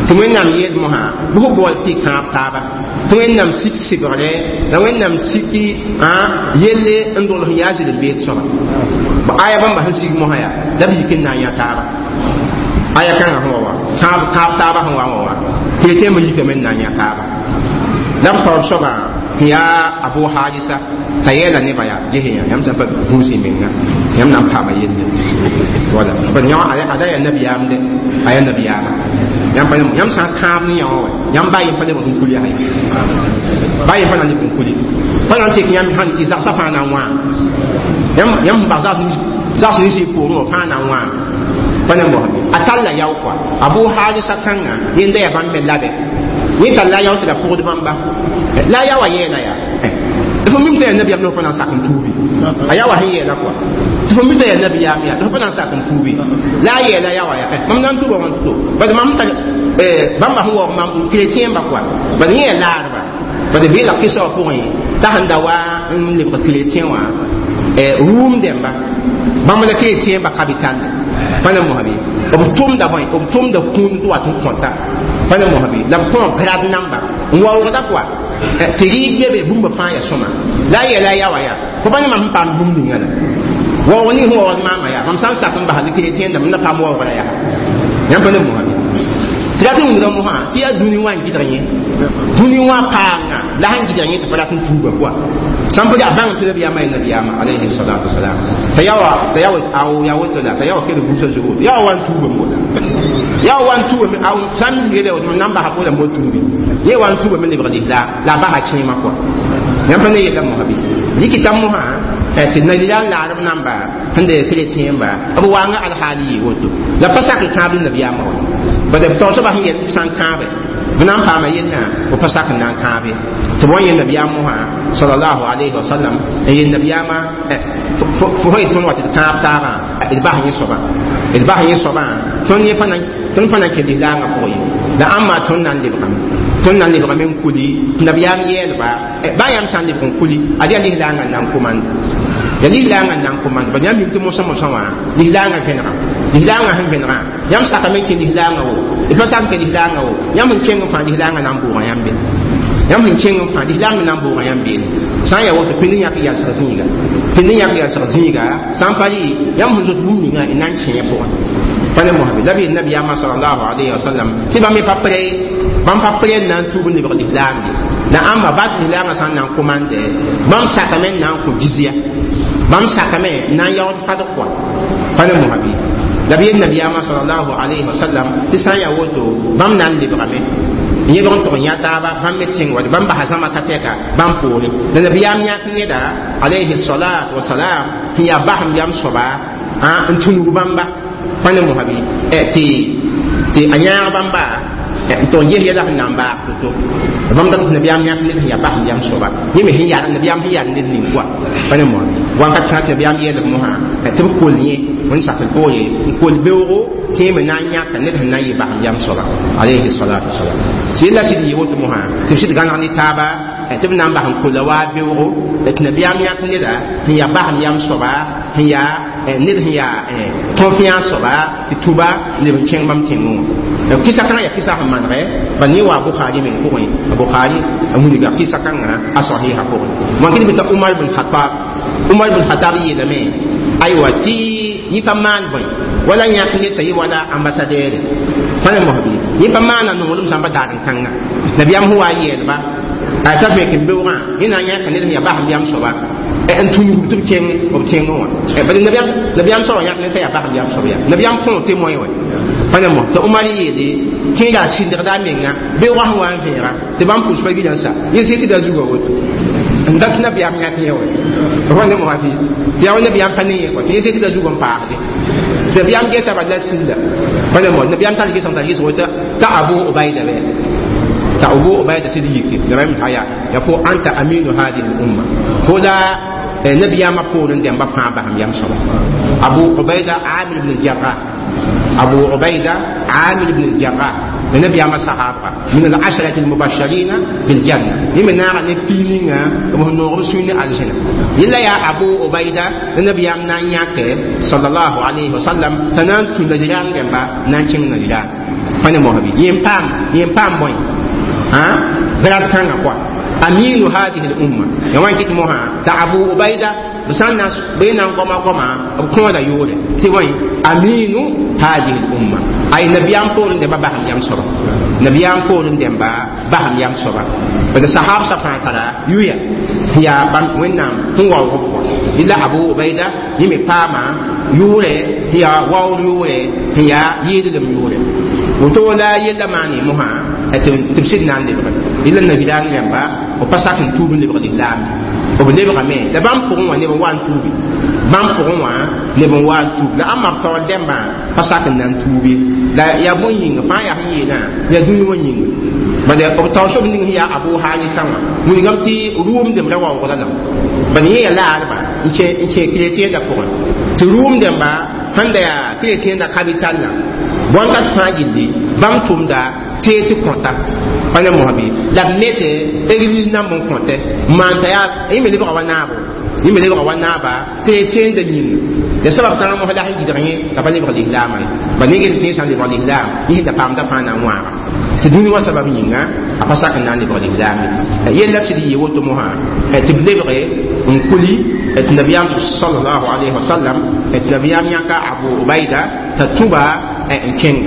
S1: توين نام يد مها بو بول تي كاب تابا توين نام سيك سيغري لا وين نام سيكي ها يلي اندول يازي البيت سوا آية بام بحن سيك مها يا دبي كنا يا تابا آية كان هو وا كاب كاب تابا هو وا كيتي مجي كمن نا يا تابا لم تور سوا يا أبو حارثة تيلا نبايا جهيا يم سبب بوسي منا يم نام بابا يلي ولا بنيا على على النبي أمد على النبي أمد yam pa yam sã n kãab ne yã wã yãmb ba yem pa lebg n kuli yaa ba yem pa na n leb n kuli pa na n tek yãmb sãn zagsã fãa na n wã yãmb sẽn bas zags ninsã y poorẽ wã fãa na n wã pa ne mosame a talla yao kɔa Abu Harisa kãngã yẽnda yaa bãmb me labe yẽ tall la yao tɩ la pʋgd bãmba la a yaoowã yɛɛla yaa fo mim tɩ yaa nabiyaam la fo pa na n sak n tuubi a yaoowã sẽn yɛɛla kɔa tɩ fo mim tɩ yaa nabiyaam yaa la fo pa na n sak n tuubi la a yɛɛla yaoowã yaa mam na n tuuba wãn to bad mam tar bãmba sẽn waoog mam chrétien ba kɔa bad yẽ yaa laadba bad beela kɩsa wã pʋgẽ t'a sẽn da wa n lebg chrétien wã rũum dẽmba bãmb la chrétien ba capital pa na mosã bɩ b tʋmda bõe b tʋmda kũun tɩ wat n kõta pa na mosã bɩ la b kõo grad namba n waoogda kɔa tɩ rɩɩg be be bũmba fãa yaa sõma la a yɛla a yaoowã yaa fo pa ne mam sẽn paam bũmb ninga la waoog ning sẽn waood maamã yaa mam sã n sak n basa chrétien dãmb na paam waoogra yaa yãmb pa ne mosã bɩ tɩ rat n wʋmda mosã tɩ yaa dũni wã n gɩdg yẽ dũni wã paanga la sẽn gɩdg yẽ tɩ pa rat n tuuba kɔa sãn pa yaa bãng tɩ nabiyaamã yaa nabiyaamã alayhi salatu wasalam t'a yaoowã t'a yaoowã aw yaa woto la t'a yaoowã kell busa zugu yaoowã wa n tuubame wala yaoowã wa n tuubame aw sã n yele woto mam na n basa pʋʋra n bo tuubi yẽ wa n tuubame lebg lislaam la a basa kẽemã kɔa yãmb pa ne yella mosã bɩ yikita mosã tɩ nalila n laarb namba sẽn de chrétien ba b waanga alhaali yɩ woto la pa sak n kãab nabiyaamã wa bad b taoor soaba sẽn yet tɩ b sã n kãabe b na n paama yellã b pa sak n na n kãabe tɩ b wa yẽ nabiyaam mosã sallallahu alayhi wa sallam n yel nabiyaamã fo sẽn yet tõnd wa tɩ d kãab taabã d bas yẽ soabã d bas yẽ soabã tõnd yẽ tõnd pa na n kẽ lislaangã pʋgẽ ye la ãmba tõnd na n lebgame tõnd na n lebgame n kuli nabiyaam yɛɛlba baa yãmb sã n lebg n kuli ad yaa lislaangã n na n komand ya lislaangã n na n komand bad yãmb mik tɩ mosã mosã wã lislaangã vẽnega lislaangã sẽn vẽnegã yãmb sakame n kẽ lislaangã wo d pa sak n kẽ lislaangã wo yãmb sẽn kẽng n fãa lislaangã na n bʋʋgã yãmb be yãmb sẽn kẽng n fãa lislaam na n bʋʋgã yãmb beene sã n yaa woto pĩnd yãk yalsg zĩiga Tɩ ne yãk yɛlsg zĩiga sã n pa rɩ yãmb sẽn zot bũmb ninga y na n kẽ pʋgẽ pa ne mosbe la b yeel nabiyaamã salallahu alayhi wa sallam tɩ bãmb me pa pre bãmb pa pre n na n tuub n lebg lislaam ye la ãmba bat lislaamã sã n na n komande bãmb sakame n na n kõ jizya bãmb sakame n na n yaood fadg kɔa pa ne mosbe la b yeel nabiyaamã salallahu alayhi wa sallam tɩ sã n yaa woto bãmb na n lebgame yẽbg n tʋg n yã taaba bãmb me tẽng wa bãmb basa zãma ka tɛka bãmb poore la nabiyaam yãk neda alayhi salatu wasalam sẽn yaa basem yam soaba n tũnug bãmba pa ne mosabi tɩ a yãag bãmba n tʋg n ges yɛla sẽn na n baag to-to bãmb dat nabiyaam yãk ned sẽn yaa basem yam soaba yẽ me sẽn yaa nabiyaam sẽn yaa ned ning koa pa ne mosabi wãnkat kãa tɩ nabiyaam yeelb mosã tɩ b kol yẽ n sakl poore n kol beoogo tɩ me na n yãka ned sẽn na n yɩ basem yam soaba alayhi salatu wasalam tɩ yella sɩd yɩ woto mosã tɩ b sɩd gãneg ne taaba tɩ b na n bas n kola waa beoogo tɩ nabiyaam yãk neda sẽn yaa basem yam soaba sẽn yaa ned sẽn yaa confiance soaba tɩ tʋba leb n kẽng bãmb tẽngẽ wã kɩsa kãngã yaa kɩsa sẽn manegɛ ba ne wa Bukhari meng pʋgẽ Bukhari a wilga kɩsa kãngã a sahiha pʋgẽ wãn kɩd t'a Umar ibn Khattab Umar ibn Khattab yeelame aywa tɩ yẽ pa maan bõe wala yãk ned t'a yɩ wala ambassadeur pa ne mosbi yẽ pa maana nonglem sãmba daar n kãnga nabiyaam sẽn wa n yeelba a t'a vẽk n beoogã yẽ na n yãka ned sẽn yaa basem yam soaba n tũnug tɩ b kẽng b tẽngẽ wã bala nabiyaam soaba yãk ned t'a yaa basem yam soab yaa nabiyaam kõ témoin wɛ pa ne mos t'a Umar yeele tɩ yaa sɩndgda a menga beoogã sẽn wa n vẽega tɩ bãmb pʋʋs pa gilã sa yẽ zikda zugã woto n dat nabiyaam yãk yẽ wɛ wa ne mosã bɩ tɩ yaa wa nabiyaam pa ne yẽ kɔ tɩ yẽ zikda zugã n paasde nabiyaam geta bala la sĩnda pa ne mos nabiyaam tar gesg tar gesg woto t'a Abu Ubayda bɛ ta Abu Ubayda sɩd yike nabiyaam ta ya fo anta aminu hadihi l-umma fo la nabiyaamã poorẽ dẽmba fãa basem yam soaba Abu Ubayda Amir ibn al-Jarrah Abu Ubayda Amir ibn al-Jarrah nabiyaamã sahabra min al-ashrati al-mubashirin bil-janna yẽ me naaga ne pii ninga b sẽn noog b sũy ne aljẽna yella yaa Abu Ubayda nabiyaam na n yãke sallallahu alayhi wa sallam t'a na n tũ Najiraan rẽmba na n kẽng Najiraan pa ne mosbi yẽ n paam bõe grade kãngã koa aminu hadihi l-umma ya wan kɩt mosã t'a Abu Ubayda b sã n na b na n goma goma b kõoda yʋʋre tɩ bõe aminu hadihi l-umma ay nabiyaam poorẽ dẽmba basem yam soaba nabiyaam poorẽ dẽmba basem yam soaba bad sahab sa fãa tara yuya yaa bãmb wẽnnaam sẽn waoog b kɔ yella Abu Ubayda yẽ me paama yʋʋrɛ sẽn yaa waoor yʋʋrɛ sẽn yaa yɩɩdlem yʋʋrɛ woto la yella maane mosã tɩ b sɩd na n lebge yella nabilaang rẽmba b pa sak n tuub n lebg lislaam b lebgame la bãmb pʋgẽ wã neb n wa n tuubi bãmb pʋgẽ wã neb n wa n tuub la ãmba b taoor dẽmbã pa sak n na n tuubi la yaa bõe yĩnga fãa yaa sẽn yeelã yaa dũni wã yĩnga bala b taoor soab ning sẽn yaa Abu Hanisa wã wilgame tɩ rʋʋmdem ra waoogda lame bala yẽ yaa laadba n kẽ chrétien pʋgẽ tɩ rʋʋm dẽmba sẽn da yaa chrétien capital la bõn-kat fãa gilli bãmb tʋmda tee tɩ kõta pa ne mosbi la b nete église namb n kõte maan t'a yaa yẽ me lebga wa naabo yẽ me lebga wa naaba chrétien da yĩnga la sabab kãngã mos la sẽn gɩdg yẽ t'a pa lebg lislaamã ye ba ne gel tẽ sã n lebg lislaam yẽ sẽn da paamda fãa na n wãaga tɩ dũni wã sabab yĩnga a pa sak n na n lebg lislaam ye yella sɩd yɩ woto mosã tɩ b lebge n kuli tɩ nabiyaam sallallahu alayhi wa sallam tɩ nabiyaam yãka Abu Ubayda t'a tũba n kẽng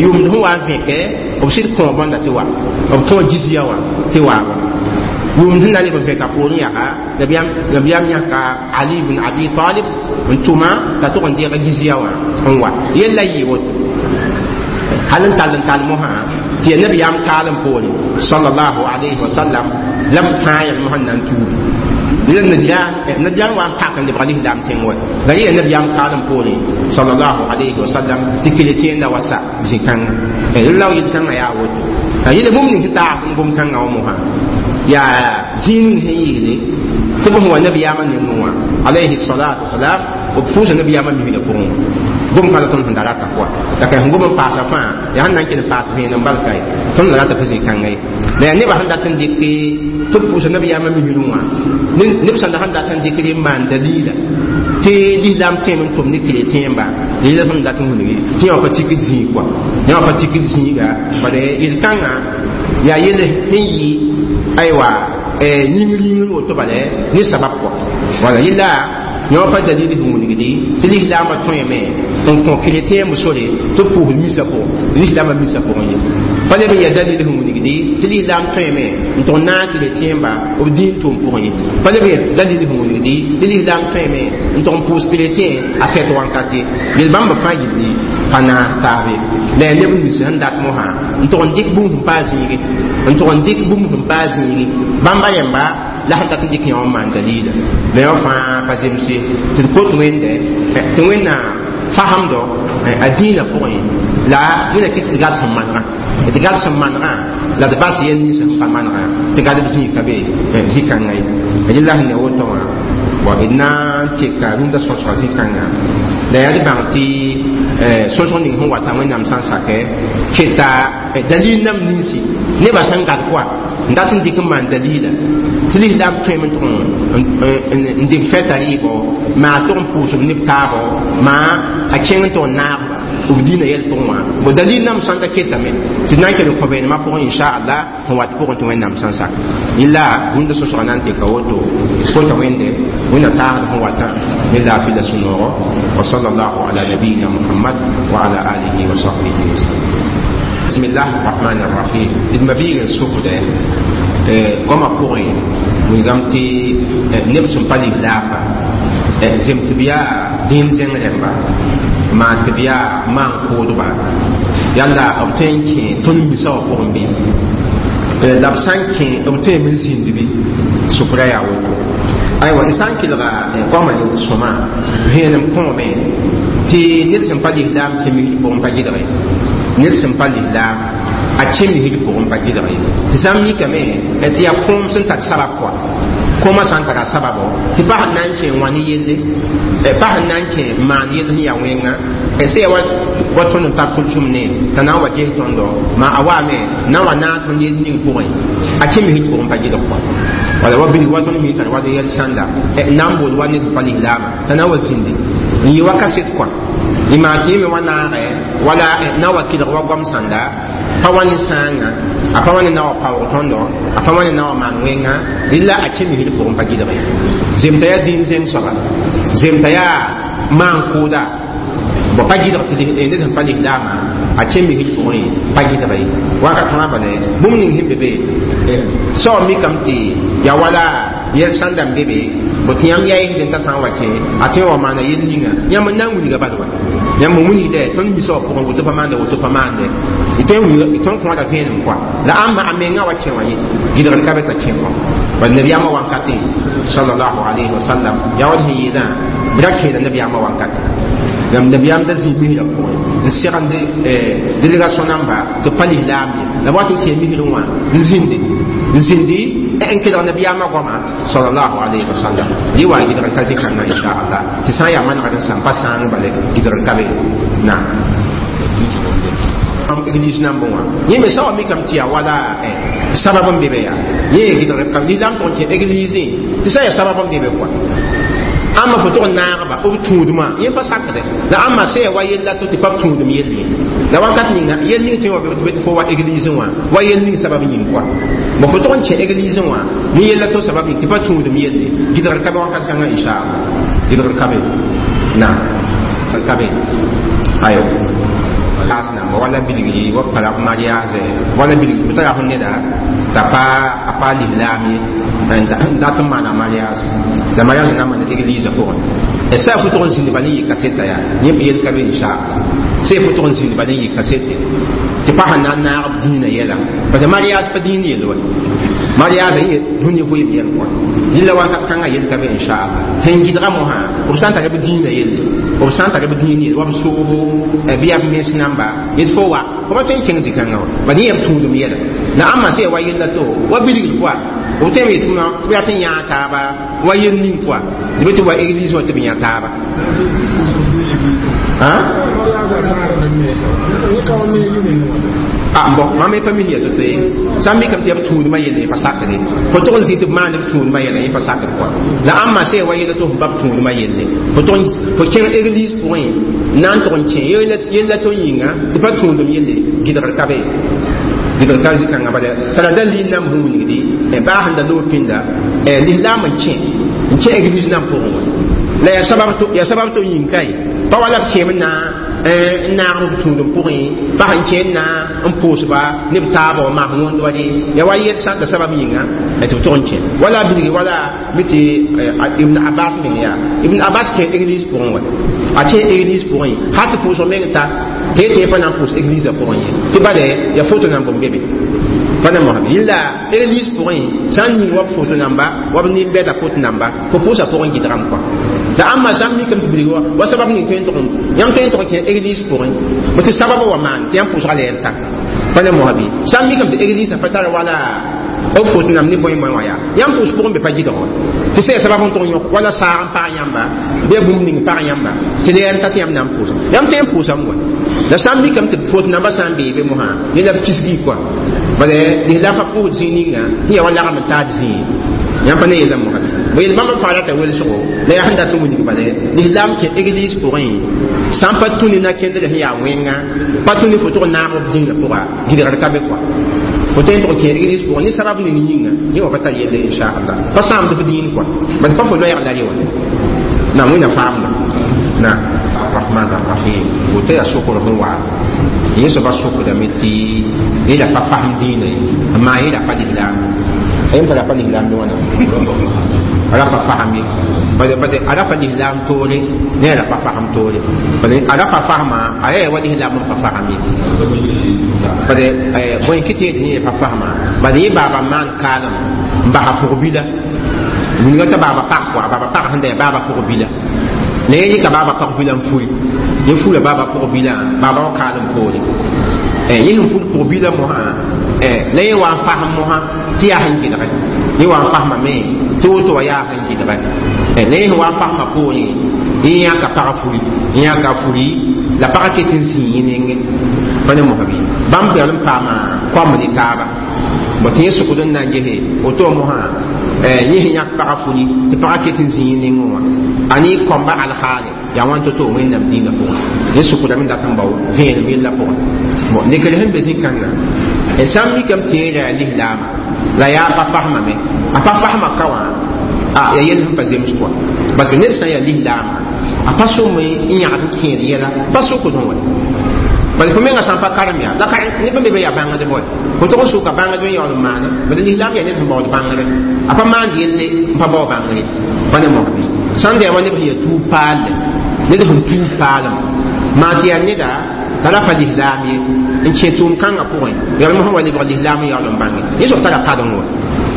S1: yʋmd sẽn wa n vẽke b sɩd kõ bõnda tɩ wa b kõ jizya wã tɩ waaba yʋmd sẽn na leb n vẽka poorẽ yaa nabiyaam yãka Ali ibn Abi Talib n tʋma t'a tʋg n deeg jizya wã n wa yella yɩ woto hal n tall mosã tɩ yaa nabiyaam kaalem poore sallallahu alayhi wa sallam la b fãa yãl mosã n na n tuubi la nabiyaam wa n pak n lebg lislaam tẽng wa la yẽ nabiyaam kaalem poore sallallahu alayhi wa sallam tɩ chrétien wa sa zĩ-kãngã la yel-kãngã yaa woto la yele bũmb ning sẽn taag n gom-kãngã wã mosã yaa zĩig ning sẽn yeele tɩ b sẽn wa nabiyaamã nengẽ wã alayhi salatu wasalam b pʋʋsa nabiyaamã misgã pʋgẽ wã gom kãla tõnd sẽn da rata pʋa la ka sẽn gom n paasa fãa yaa sẽn na n kell n paas vẽenem bal ka ye tõnd la rata pa zĩ-kãngã ye la yaa nebã sẽn dat n dɩk tɩ b pʋʋsa nabiyaamã misrẽ wã neb sãnda sẽn dat n dɩkr n maan dalila tɩ lislaam tẽem n tʋm ne chrétienba yella sẽn dat n wilgi tɩ yã pa tikd zĩig kɔa yã pa tikd zĩiga bala yel-kãngã yaa yell sẽn yɩ aywa yĩngr yĩngr woto bala ne sabab kɔ wala yella Yõ pa dalil sẽn wilgdi tɩ lislaambã tõeme n kõ chrétien sore tɩ pʋʋsd misa pʋgẽ, lislaambã misa pʋgẽ ye. Pa leb n yaa dalil sẽn wilgdi tɩ lislaam tõeme n tʋg naag chrétienba b dĩin tʋʋm pʋgẽ ye. Pa leb n yaa dalil sẽn wilgdi tɩ lislaam tõeme n tʋg n pʋʋs chrétien a fɛt wãnkat ye. Yel bãmba fãa yilli pa naas taabe. La yaa neb nins sẽn dat mosã n tʋg n dɩk bũmb sẽn paa zĩigi, n tʋg n dɩk bũmb sẽn paa zĩigi bãmba rẽmba la sẽn dat n dɩk yõ n maan dalila. La yõ fãa pa zemse tɩ d kot Wẽnde tɩ Wẽnnaam fasemdo a dĩinã pʋgẽ la Wẽnna kɩ tɩ d gad sẽn manegã, d gad sẽn manegã la d bas yɛl nins sẽn pa manegã tɩ gadb zĩig ka be zĩ-kãngã ye. Rẽla sẽn ya woto wã, bon, d na n teka rũndã sõsga zĩ-kãngã la yaa d bãng tɩ sõsg ning sẽn wata Wẽnnaam sã n sakɛ keta dalil nam ninsi nebã sẽn gad kɔa n dat n dɩk n maan dalila tɩ lislaam tõeme n tʋg n dɩk fɛta rɩɩbɔ maa tʋg n pʋʋsb neb taabɔ maa a kẽng n tʋg n naagba b dĩinã yɛl pʋgẽ wã. Bo dalil nam sãn ka ketame tɩ d na n kell n kõ vẽenemã pʋgẽ, inchallah, sẽn wat pʋgẽ tɩ Wẽnnaam sã n sak yella rũndã sõsga na n teka woto. Kota Wẽnde Wẽnna taasd sẽn watã ne laafɩ la sũ-noogo. Wa sallallahu ala nabiyina Muhammad wa ala alihi wa sahbihi wa sallam. Bismillah rahman rahim. D ma biig n sʋkdɛ goamã pʋgẽ wilgame tɩ neb sẽn pa lislaamba zem tɩ b yaa dĩin zẽng rẽmba maan tɩ b yaa maan kʋʋdba yalla b tõe n kẽ tõnd misa wã pʋgẽ bɩ la b sã n kẽ b tõeme n zĩnd bɩ sʋkra yaa woto. Aywa, d sã n kelga goamã sõma vẽenem kõome tɩ ned sẽn pa lislaam kẽ misd pʋgẽ pa gɩdge, ned sẽn pa lislaam a kẽ misd pʋgẽ pa gɩdge. Tɩ sã n mikame tɩ yaa kõom sẽn tar sabab kɔa, kõomã sã n tara sababo tɩ pa sẽn na n kẽ wã ne yelle, pa sẽn na n kẽ n maan yell sẽn yaa wẽnga sẽn yaa wa tõnd n tar tʋlsem ne t'a na n wa ges tõndo maa a waame na n wa naag tõnd yell ning pʋgẽ a kẽ misd pʋgẽ pa gɩdg kɔa. Wala wa bilg wa tõnd mi tara wa yɛl sãnda n na n bool wa ned sẽn pa lislaamã t'a na n wa zĩndi n yɩ wa kaset kɔa y maa tɩ yẽ me wa naagɛ wala na wa kelg wa goam sãnda pa wa ne sãanga, a pa wa ne na wa paoog tõndo, a pa wa ne na wa maan wẽnga rɩla a kẽ misd pʋgẽ pa gɩdg ye. Zemta yaa dĩin zẽng soaba, zemta yaa maan kʋʋda bõ pa gɩdg tɩ ned sẽn pa lislaamã a kẽ misd pʋgẽ pa gɩdg ye. Wakat fãa bale bũmb ning sẽn be be soab mikame tɩ yaa wala yɛl sãnda n be be bõ tɩ yãmb yaa yesd n t'a sã n wa kẽ a tõe wa maana yel ninga yãmb n na n wilga bal wa yãmb n wilgdɛ tõnd misa wã pʋgẽ woto pa maanda, woto pa maande tõnd kõoda vẽenem kɔa la ãmba a menga wa kẽ wã ye gɩdgr ka be t'a kẽ kɔ. Bal nabiyaamã wankatẽ sallallahu alayhi wa sallam yaa wall sẽn yeelã b ra kẽeda nabiyaamã wankatẽ yãmb nabiyaam da zĩ misrã pʋgẽ n segend délégation namba tɩ pa lislaam ye la b wat n kẽ misrẽ wã n zĩndi n zĩndi n kelg nabiyaamã goama sallallahu alayhi wa sallam. Yɩ wa gɩdgr ka zĩ-kãngã, inchallah, tɩ sã n yaa manegd n sãm pa sãang bale gɩdgr ka be na église nambẽ wã. Yẽ me sã wa mikame tɩ yaa wala sabab n be be yaa yẽ gɩdgr ka lislaam tʋg n kẽ église tɩ sã n yaa sabab n be be kɔa ãmba fo tʋg n naagba b tũudmã yẽ pa sakdɛ la ãmba sã yaa wa yella to tɩ pa b tũudem yell ye la wakat ninga yel ning tõe wa be tɩ fo wa église wã wa yel ning sabab yĩng kɔa bon fo tʋg n kẽ église wã ne yella to sabab yĩng tɩ pa tũudem yelle gɩdgr ka be wakat kãngã, inchallah, gɩdgr ka be na ka be ayo namba wala bilgi wa pala mariage wala bilgi tara fo neda t'a pa a pa lislaam ye n dat n maana mariage la mariage na maana église pʋgẽ sã fo tʋg n zĩnd bal n yɩ kaseta yaa yẽ yel ka be, inchallah. Sã fo tʋg n zĩnd bal n yɩ kasete tɩ pa sẽn na n naag b dĩinã yɛla parce que mariage pa dĩin yell wa mariage yẽ dũni vɩɩm yɛl kɔa rɩla wakat kãngã yel ka be, inchallah. Sẽn gɩdga mosã b sã n tara b dĩinã yelle, b sã n tara b dĩin yelle wa b soobo bɩ yaa b mens namba yet fo wa fo pa tõe n kẽng zĩ-kãngã wa bad yẽ b tũudem yɛla la ãmba sã ya wa yella to wa bilgr pʋa b tõeme yetɩ b yaa tɩ n yãag taaba wa yel ning pʋa tɩ be tɩ wa église wã tɩ b yã taaba. Ah bon, mam me pa mi ya to te sã n mikame tɩ yaa b tũudmã yelle pa sakde fo tʋg n zĩ tɩ b maan b tũudmã yɛla yẽ pa sakd kɔa la ãmba sã ya wa yella tɩ f ba b tũudmã yelle fo tʋg fo kẽng église pʋgẽ na n tʋg n kẽ yella to yĩnga tɩ pa tũudem yelle gɩdgr ka be, gɩdgr ka zĩ-kãngã bala tara dalil nam sẽn wilgdi baa sẽn da loog pĩnda lislaam n kẽ église nam pʋgẽ wã. La ya sabab to yĩng kae pa wala b kẽem na n naag b tũudem pʋgẽ pa sẽn kẽnd na n pʋʋsba ne b taaba wã maas wõnd wa de ya wa yɛl sã n ta sabab yĩnga tɩ b tʋg n kẽ wala bilgi wala mi tɩ Ibn Abbas meng yaa Ibn Abbas kẽ église pʋgẽ wa a kẽ église pʋgẽ hal tɩ pʋʋsg meng ta tɩ tɩ pa na n pʋʋs église pʋgẽ ye tɩ bale ya foto nan bõmb be be pa na mosame yella église pʋgẽ sã n ning wa b foto namba wa b nin-bɛda foto namba fo pʋʋsa pʋgẽ gɩdgame kɔa la ãmba sã n mikame tɩ bilg wa sabab ning tõe n tʋg yãmb tõe n tʋg kẽ église pʋgẽ bõ tɩ sababa wa maan tɩ yãmb pʋʋsga lɛɛr ta pa na mosabe sã n mikame tɩ église pa tara wala b foto nam ne bõe bõe wã yaa yãmb pʋʋs pʋgẽ be pa gɩdg wa tɩ sã ya sabab n tʋg yõk wala saag n pag yãmba bɩ bũmb ning pag yãmba tɩ lɛɛr ta tɩ yãmb na n pʋʋsa yãmb tõe n pʋʋsame wa la sã n mikame tɩ foto namba sã n bee be mosã ne la b kisgi kɔa bala lislaam pa pʋʋsd zĩig ninga sẽn yaa wa lagm n taad zĩig yãmb pa ne yella mosã bõ yel bãmb fãa rata welsgo la yaa sẽn dat n wilg bala lislaam kẽ église pʋgẽ sã n pa tũ ne na-kẽndrã sẽn yaa wẽnga pa tũ ne fo tʋg naag b dĩnã pʋga gɩdgr ka be kɔa fo tõe n tʋg kẽ église pʋgẽ ne sabab ning yĩnga yẽ wa pa tar yelle inchallah pa sãamd f dĩin kɔa bala pa fo loɛɛg la re wa na wẽnna faamda na الرحمن الرحيم woto yaa sokr sẽn wa yẽ soaba sokdame tɩ yẽ la pa fasem dĩinã ye n maan yẽ la pa lislaam yẽm t'a la pa lislaam ne wãna a ra pa fasem ye bade a ra pa lislaam toore ne a ra pa fasem toore bade a ra pa fasema a yaa wa lislaam n pa fasem ye bade bõe kɩ tɩ yẽ tɩ yẽ pa fasema bade yẽ baaba maan kaalem n basa pʋg-bila wilga t'a baaba pag kɔa baaba pag sẽn da yaa baaba pʋg-bila la yẽ yɩka baaba pag-bila n furi yẽ fura baaba pʋg-bilã baaba wa kaalem poore yẽ sẽn fur pʋg-bilã mosã la yẽ wa n fasem mosã tɩ yaa sẽn gɩdge yẽ wa n fasmame tɩ woto wa yaa sẽn gɩdge la yẽ sẽn wa n fasmã poorẽ yẽ yãka pagã furi yẽ yãka furi la pagã ket n zĩig yẽ nengẽ pa ne mosã bɩ bãmb bɛl n paama koamb ne taaba bõ tɩ yẽ sʋkd n na n gese woto mosã yẽ sẽn yãk pagã furi tɩ pagã ket n zĩig yẽ nengẽ wã a ne kõmba alhaale yaa wãn to-to wẽnnaam dĩinã pʋgẽ yẽ sʋkdame dat n bao vẽenem yella pʋgẽ bon lekr sẽn be zĩ-kãngã sã n mikame tɩ yẽ yaa lislaama la yaa pa fasmame a pa fasma ka wã a ya yell sẽn pa zems kɔa parce que ned sã n yaa lislaama a pa sõm n yãgd n kẽed yɛla pa sʋkd wa bala fo menga sã n pa karem yaa la neb n be be yaa bãngdb wa fo tʋg n sʋka bãngd n yaool n maana bala lislaam yaa ned sẽn baood bãngre a pa maand yelle n pa bao bãngre pa ne mosbi sã n da yaa wa neb sẽn yaa tuub paalle ned sẽn tuub paalem maa tɩ yaa neda t'a ra pa lislaam ye n kẽ tʋʋm kãngã pʋgẽ yaool mosã wa lebg lislaam n yaool n bãnge yẽ soab tara padeng wa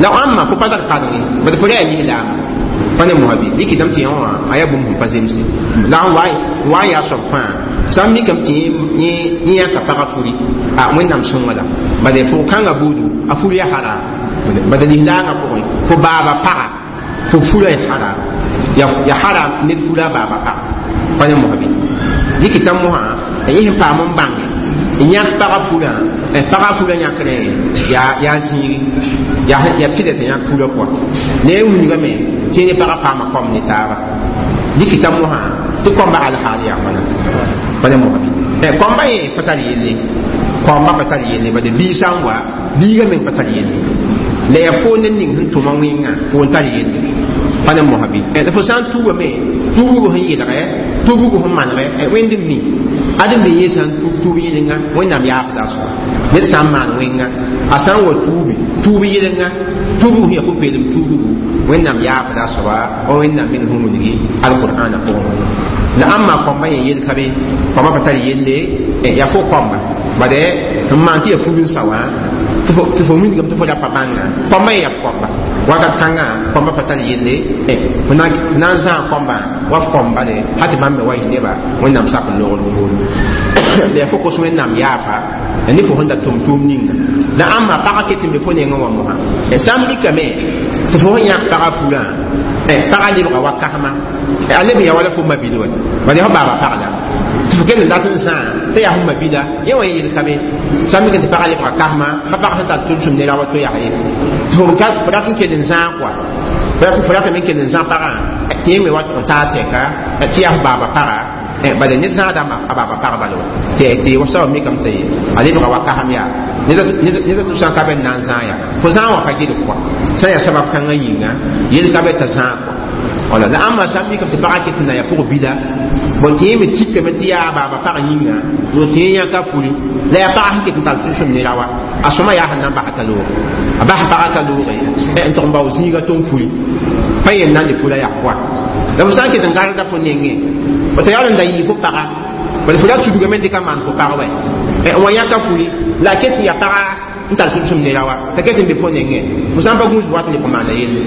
S1: la ãmba fo pa tar padeng ye bala fo ra yaa lislaam pa ne mosã bɩ dɩkɩdame tɩ yẽ wã a yaa bũmb sẽn pa zemse la n wa n yaa soab fãa sã n mikame tɩ yẽ yãka pagã furi a wẽnnaam sõnga la bala pʋg-kãngã buudu a fur yaa haram bala lislaangã pʋgẽ fo baaba paga fo fura ya haram ya haram ned fura baaba paga pa ne mosã bɩ dɩkɩta mosã yẽ sẽn paam n bãnge n yãk pagã furã pagã furã yãkrẽ yaa zĩigi yaa tɩlɛ tɩ yãk furã kɔa ne y wilgame tɩ ne pagã paama kom ne taaba dɩkɩta mosã tɩ kõmba alhaal yaa wãna pa ne mosã bɩ kõmba yẽ pa tar yelle kõmba pa tar yelle bade biig sã n wa biigã meng pa tar yelle la yaa fo ned ning sẽn tʋma wẽngã fo n tar yelle pa ne mosã bɩ la fo sã n tuubame tuubgo sẽn yelgɛ tuubgo sẽn manegɛ wẽnd n mi ad n be yẽ sã n tuub tuub yẽlenga wẽnnaam yaafda a soaba ned sã n maan wẽnga a sã n wa tuubi tuub yẽlenga tuubg sẽn yaa pʋ-peelem tuubgu wẽnnaam yaafda a soaba wa wẽnnaam meng sẽn wilgi alqur'ana pʋgẽ la ãmba kõmba yẽ yel ka be kõmba pa tar yelle yaa fo kõmba bade n maan tɩ yaa fug n sa wã tɩ fo wilgame tɩ fo ra pa bãnga kõmba yẽ yaa f kõmba wakat kãngã kõmba pa tar yelle fo na n zãag kõmbã wa f kõmba le hal tɩ bãmb me wa yẽ neba wẽnnaam sak n logr poore la yaa fo kos wẽnnaam yaafa ne fo sẽn da tʋm tʋʋm ninga la ãmba pagã ket n be fo nengẽ wã mosã sã n mikame tɩ fo sẽn yãk pagã furã pagã lebga wa kasma a leb n yaa wala fo mabil wa bala yaa fo baaba pag la tɩ fo kell n dat n zãa tɩ yaa fo mabila yẽ wã yel ka be sã n mik tɩ pagã lebga kasma pa pag sẽn tar tʋlsem ne ra wa to yaa ye tɩ fo rat n kell n zãag kɔa fo ratame n kell n zã pagã tɩ yẽ me wa n taa tɛka tɩ yaa fo baaba paga bala ned zãada a baaba pag bala wa tɩ wa soaba mikame tɩ a lebga wa kasem yaa ned tɩ sã n ka be n na n zãag yaa fo zãag wã pa gɩdg kɔa sã n yaa sabab kãngã yĩnga yel ka be t'a zãag kɔa Wala la ãmba sã n mikame tɩ pagã ket n na yaa pʋg bila bõ tɩ yẽ me tikame tɩ yaa baaba pag yĩnga tɩ yẽ yãka fuli la yaa pagã sẽn ket n tall tʋlsem ne rawa a sõma yaa sẽn na n basa t'a looge a bas pagã t'a looge n tʋg n bao zĩiga tʋm fuli pa yel na n le fula yaa koa la fo sã n ket n gãrda fo nengẽ fo t'a yaool n da yɩɩ fo paga bala fo ra tudgame dɩka maan fo pag wɛ n wa yãka fuli la a ket n yaa paga n tall tʋlsem ne rawa t'a ket n be fo nengẽ fo sã n pa gũus wat n leb n maana yelle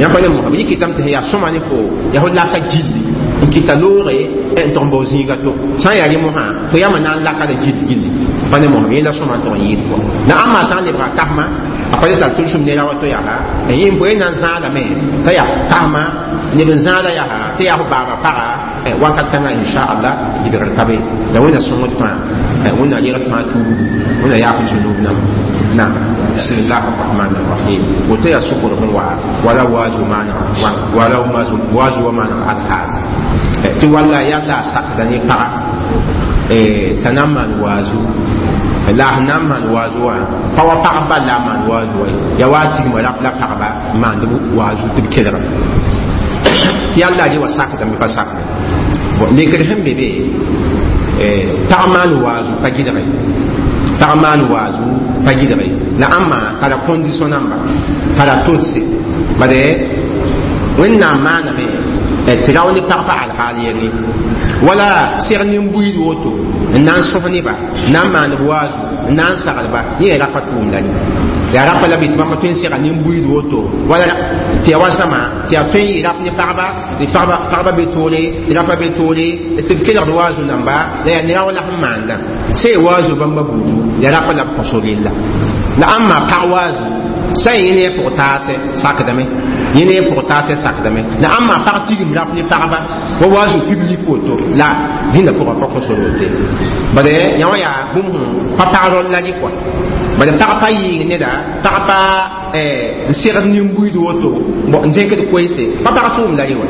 S1: yãmb pa ne mosã yɩ kɩtame tɩ yaa sõma ne fo yaa fo laka gilli n kɩta loore n tʋg n bao zĩiga to sã n yaa rẽ mosã fo yãmba na n laka la gill gilli pa ne mosã yẽ la sõma n tʋg n yɩɩd kɔ la ãmba sã n lebga kasma a pa le tall tʋlsem ne ra wa to yaa yẽ bõe na n zãadame t'a yaa kasma neb n zãada yaa tɩ yaa fo baaba paga wakat kãngã inshaallah gɩdgr ka be la wẽnna sõngd fãa wẽnna regd fãa tuubu wẽnna yaaf zunub nam naam bismillah arrahman arrahim woto yaa sʋkr sẽn wa wala waazu maana wala waazu wa maana alhaal tɩ walla yalla a sakda ne paga t'a na n maan waazu la sẽn na n maan waazu wã pa wa pagb bal la a maan waazu wa ya wa a tigma rap la pagba n maand waazu tɩ b kelga tɩ yalla re wa sakdame pa sakda lekr sẽn be be pag maan waazu pa gɩdge pag maan waazu pa gɩdge la ãmba tara condition namba tara todse bade wẽnnaam maaname tɩ rao ne pag pa alhaal yɛngẽ wala seg nin-buiid woto n na n sõs neba n na n maan b waazu n na n saglba yẽ yaa rapa tʋʋmda ye yaa rapa la bɩ tɩ bãmba tõe n sega nin-buiid woto wala tɩ ya wa zãma tɩ yaa tõe n yɩ rap ne pagba tɩ pagba be toore tɩ rapa be toore tɩ b kelgd waazu namba la yaa ne rao la sẽn maanda sã y waazu bãmba buudu yaa rapa la b kõso rella la ãmba pag waazu sã n yẽ ne pʋg taasɛ sakdame yẽ ne pʋg taasɛ sakdame la ãmba pag tigim rap ne pagba wa waazu public woto la dĩnda pʋgã pa kõso rote bala yã wã yaa bũmb sẽn pa pag rol la rɩ kɔa bala pag pa yɩɩg neda pag pa n segd nin-buiid woto n zẽkd koeese pa pag tʋʋm la rɩ wa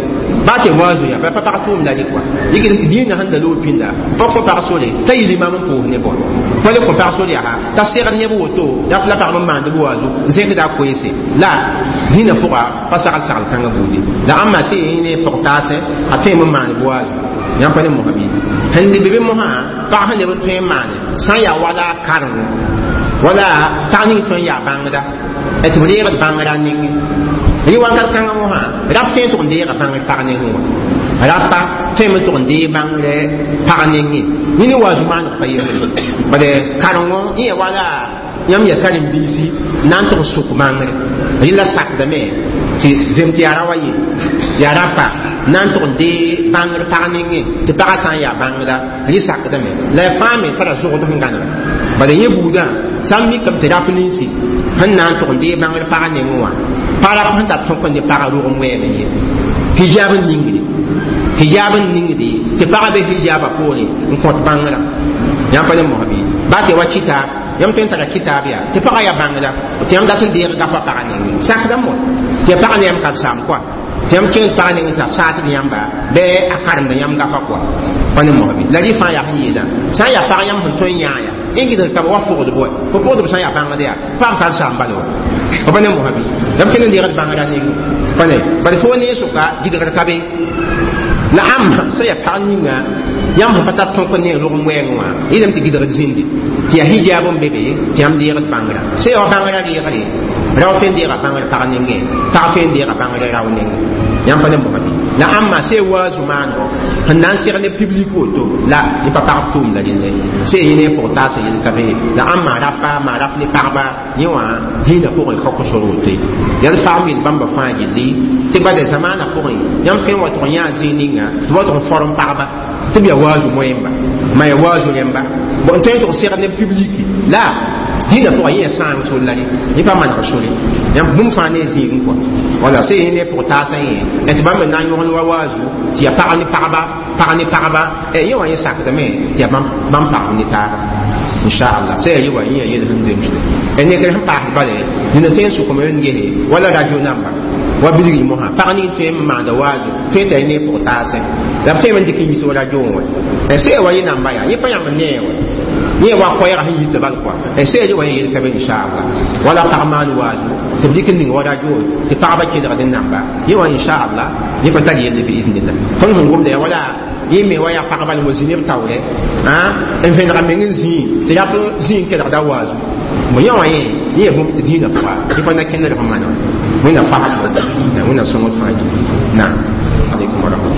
S1: baa tɩ waazu yaa pa pag tʋʋm la rɩ kɔa yɩk dĩinã sẽn da loog pĩnda pa kõ pag sore t'a yɩl imaam n pʋʋs ne bõe pa le kõ pag sore yaa t'a segd neb woto rap la pagb n maand b waazu n zẽkda a koeese la dĩinã pʋga pa sagl sagl kãngã buudi la ãmba sẽn yẽ ne pʋg taasẽ a tõeme n maan b waazu yãmb pa ne mosã bɩ sẽn leb be mosã pag sẽn leb n tõe n maane sã n yaa wala a karengo wala pag ning tõe n yaa bãngda tɩ b reegd bãngrã nengẽ rɩ wakat kãngã mosã rap tõe n tʋg n deega bãngr pag nengẽ wã rapa tõeme n tʋg n deeg bãngrɛ pag nengẽ yẽ ne waazu maaneg pa yembre bala karengo yẽ ya wala yãmb yaa karen-biisi na n tʋg sʋk bãngre rɩ la sakdame tɩ zem tɩ yaa ra wa ye yaa rapa na n tʋg n dee bãngr pag nengẽ tɩ pagã sã n yaa bãngda rɩ sakdame la ya fãa me tara zogd sẽn gãnega bala yẽ buudã sã n mikame tɩ rap ninsi sẽn na n tʋg n dee bãngr pagã nengẽ wã pa rap sẽn tar tõk n ne pagã rog n wɛɛme ye hijab n ningde hijab n ningde tɩ pagã be hijaba poore n kõt bãngrã yãmb pa ne mosã bɩ baa tɩ wa kitaab yãmb tõe n tara kitaab yaa tɩ pagã yaa bãngda tɩ yãmb dat n deeg gafa pagã nengẽ sakdame wa tɩ ya pagã ne yãmb karsaam kɔa tɩ yãmb kẽed pagã nengẽ t'a saasd yãmba bɩ a karemda yãmb gafa kɔa pa ne mosã bɩ la rɩ fãa yaa sẽn yeelã sã n yaa pag yãmb sẽn tõe n yãa ya n gɩdg ka wa pʋgdb wa fo pʋgdb sã n yaa bãngd yaa paam karsaam bala wa fo pa ne mosã bɩ yãmb kẽnd n deegd bãngrã nengẽ pa ne bala fo ne sʋka gɩdgr ka be la ãmba sã yaa pag ninga yãmb sẽn pa tar tõk ne rog n wɛɛngẽ wã yɩlame tɩ gɩdgd zĩndi tɩ yaa hijab n be be tɩ yãmb deegd bãngrã sã yaa wa bãngrã reegre rao tõe n deega bãngr pag nengẽ pag tõe n deega bãngrã rao nengẽ yãmb pa ne mosã bɩ la ãmba sã y waazu maanego sẽn na n seg ne public woto la yẽ pa pagb tʋʋmda rẽndẽ sã y yẽ ne pʋg taasã yel ka be la ãmba rapa maa rap ne pagba yẽ wã dĩinã pʋgẽ ka kosor woto ye yaa d faam yel bãmba fãa gilli tɩ bala zamaanã pʋgẽ yãmb tõe n wa tʋg yãa zĩig ninga tɩ wa tʋg n form pagba tɩ b yaa waazu moẽmba ma yaa waazu rẽmba n tõe n tʋg seg ne public la dĩinã pʋgã yẽ yaa sãang sol la yẽ pa maneg sore yãmb bũmb fãa ne zĩigẽ kɔa wala sã yẽ ne pʋg taasã yẽ tɩ bãmb n na n yõgen wa waazu tɩ yaa pag ne pagba pag ne pagba yẽ wã yẽ sakdame tɩ yaa bãmb pagb ne taaba inchallah sã yaa yɩ wa yẽ yaa yel sẽn zemsde nekr sẽn paasd bale dĩnã tõe n sʋkame n gese wala radio namba wa bilgr mosã pag ning tõe n maanda waazu tõe t'a ne pʋg taasẽ la b tõeme n dɩk n yis wa radio wã sã yaa wa yẽ namba yaa yẽ pa yãmb nee wa yẽ wa koɛɛgã sẽn yita bal kɔa sã yaa wa yẽ yel ka be inchallah wala pag maan waazu Tɩ b dɩk n ning wa radio tɩ pagba kelgd n namba yẽ wã, inchallah, yẽ pa tar yelle, biiznillah. Tõnd sẽn gomda yaa wala yẽ me wa yaa pagba la zĩ neb taoore n vẽnega meng n zĩi tɩ rap zĩ n kelgda waazu. Bõ yẽ wã yẽ yẽ bũmb tɩ dĩinã pʋga yẽ pa na kẽndr fõ mana. Wẽnna fasd, Wẽnna sõngd fãa. Naam, alaikum wa rahmatullah.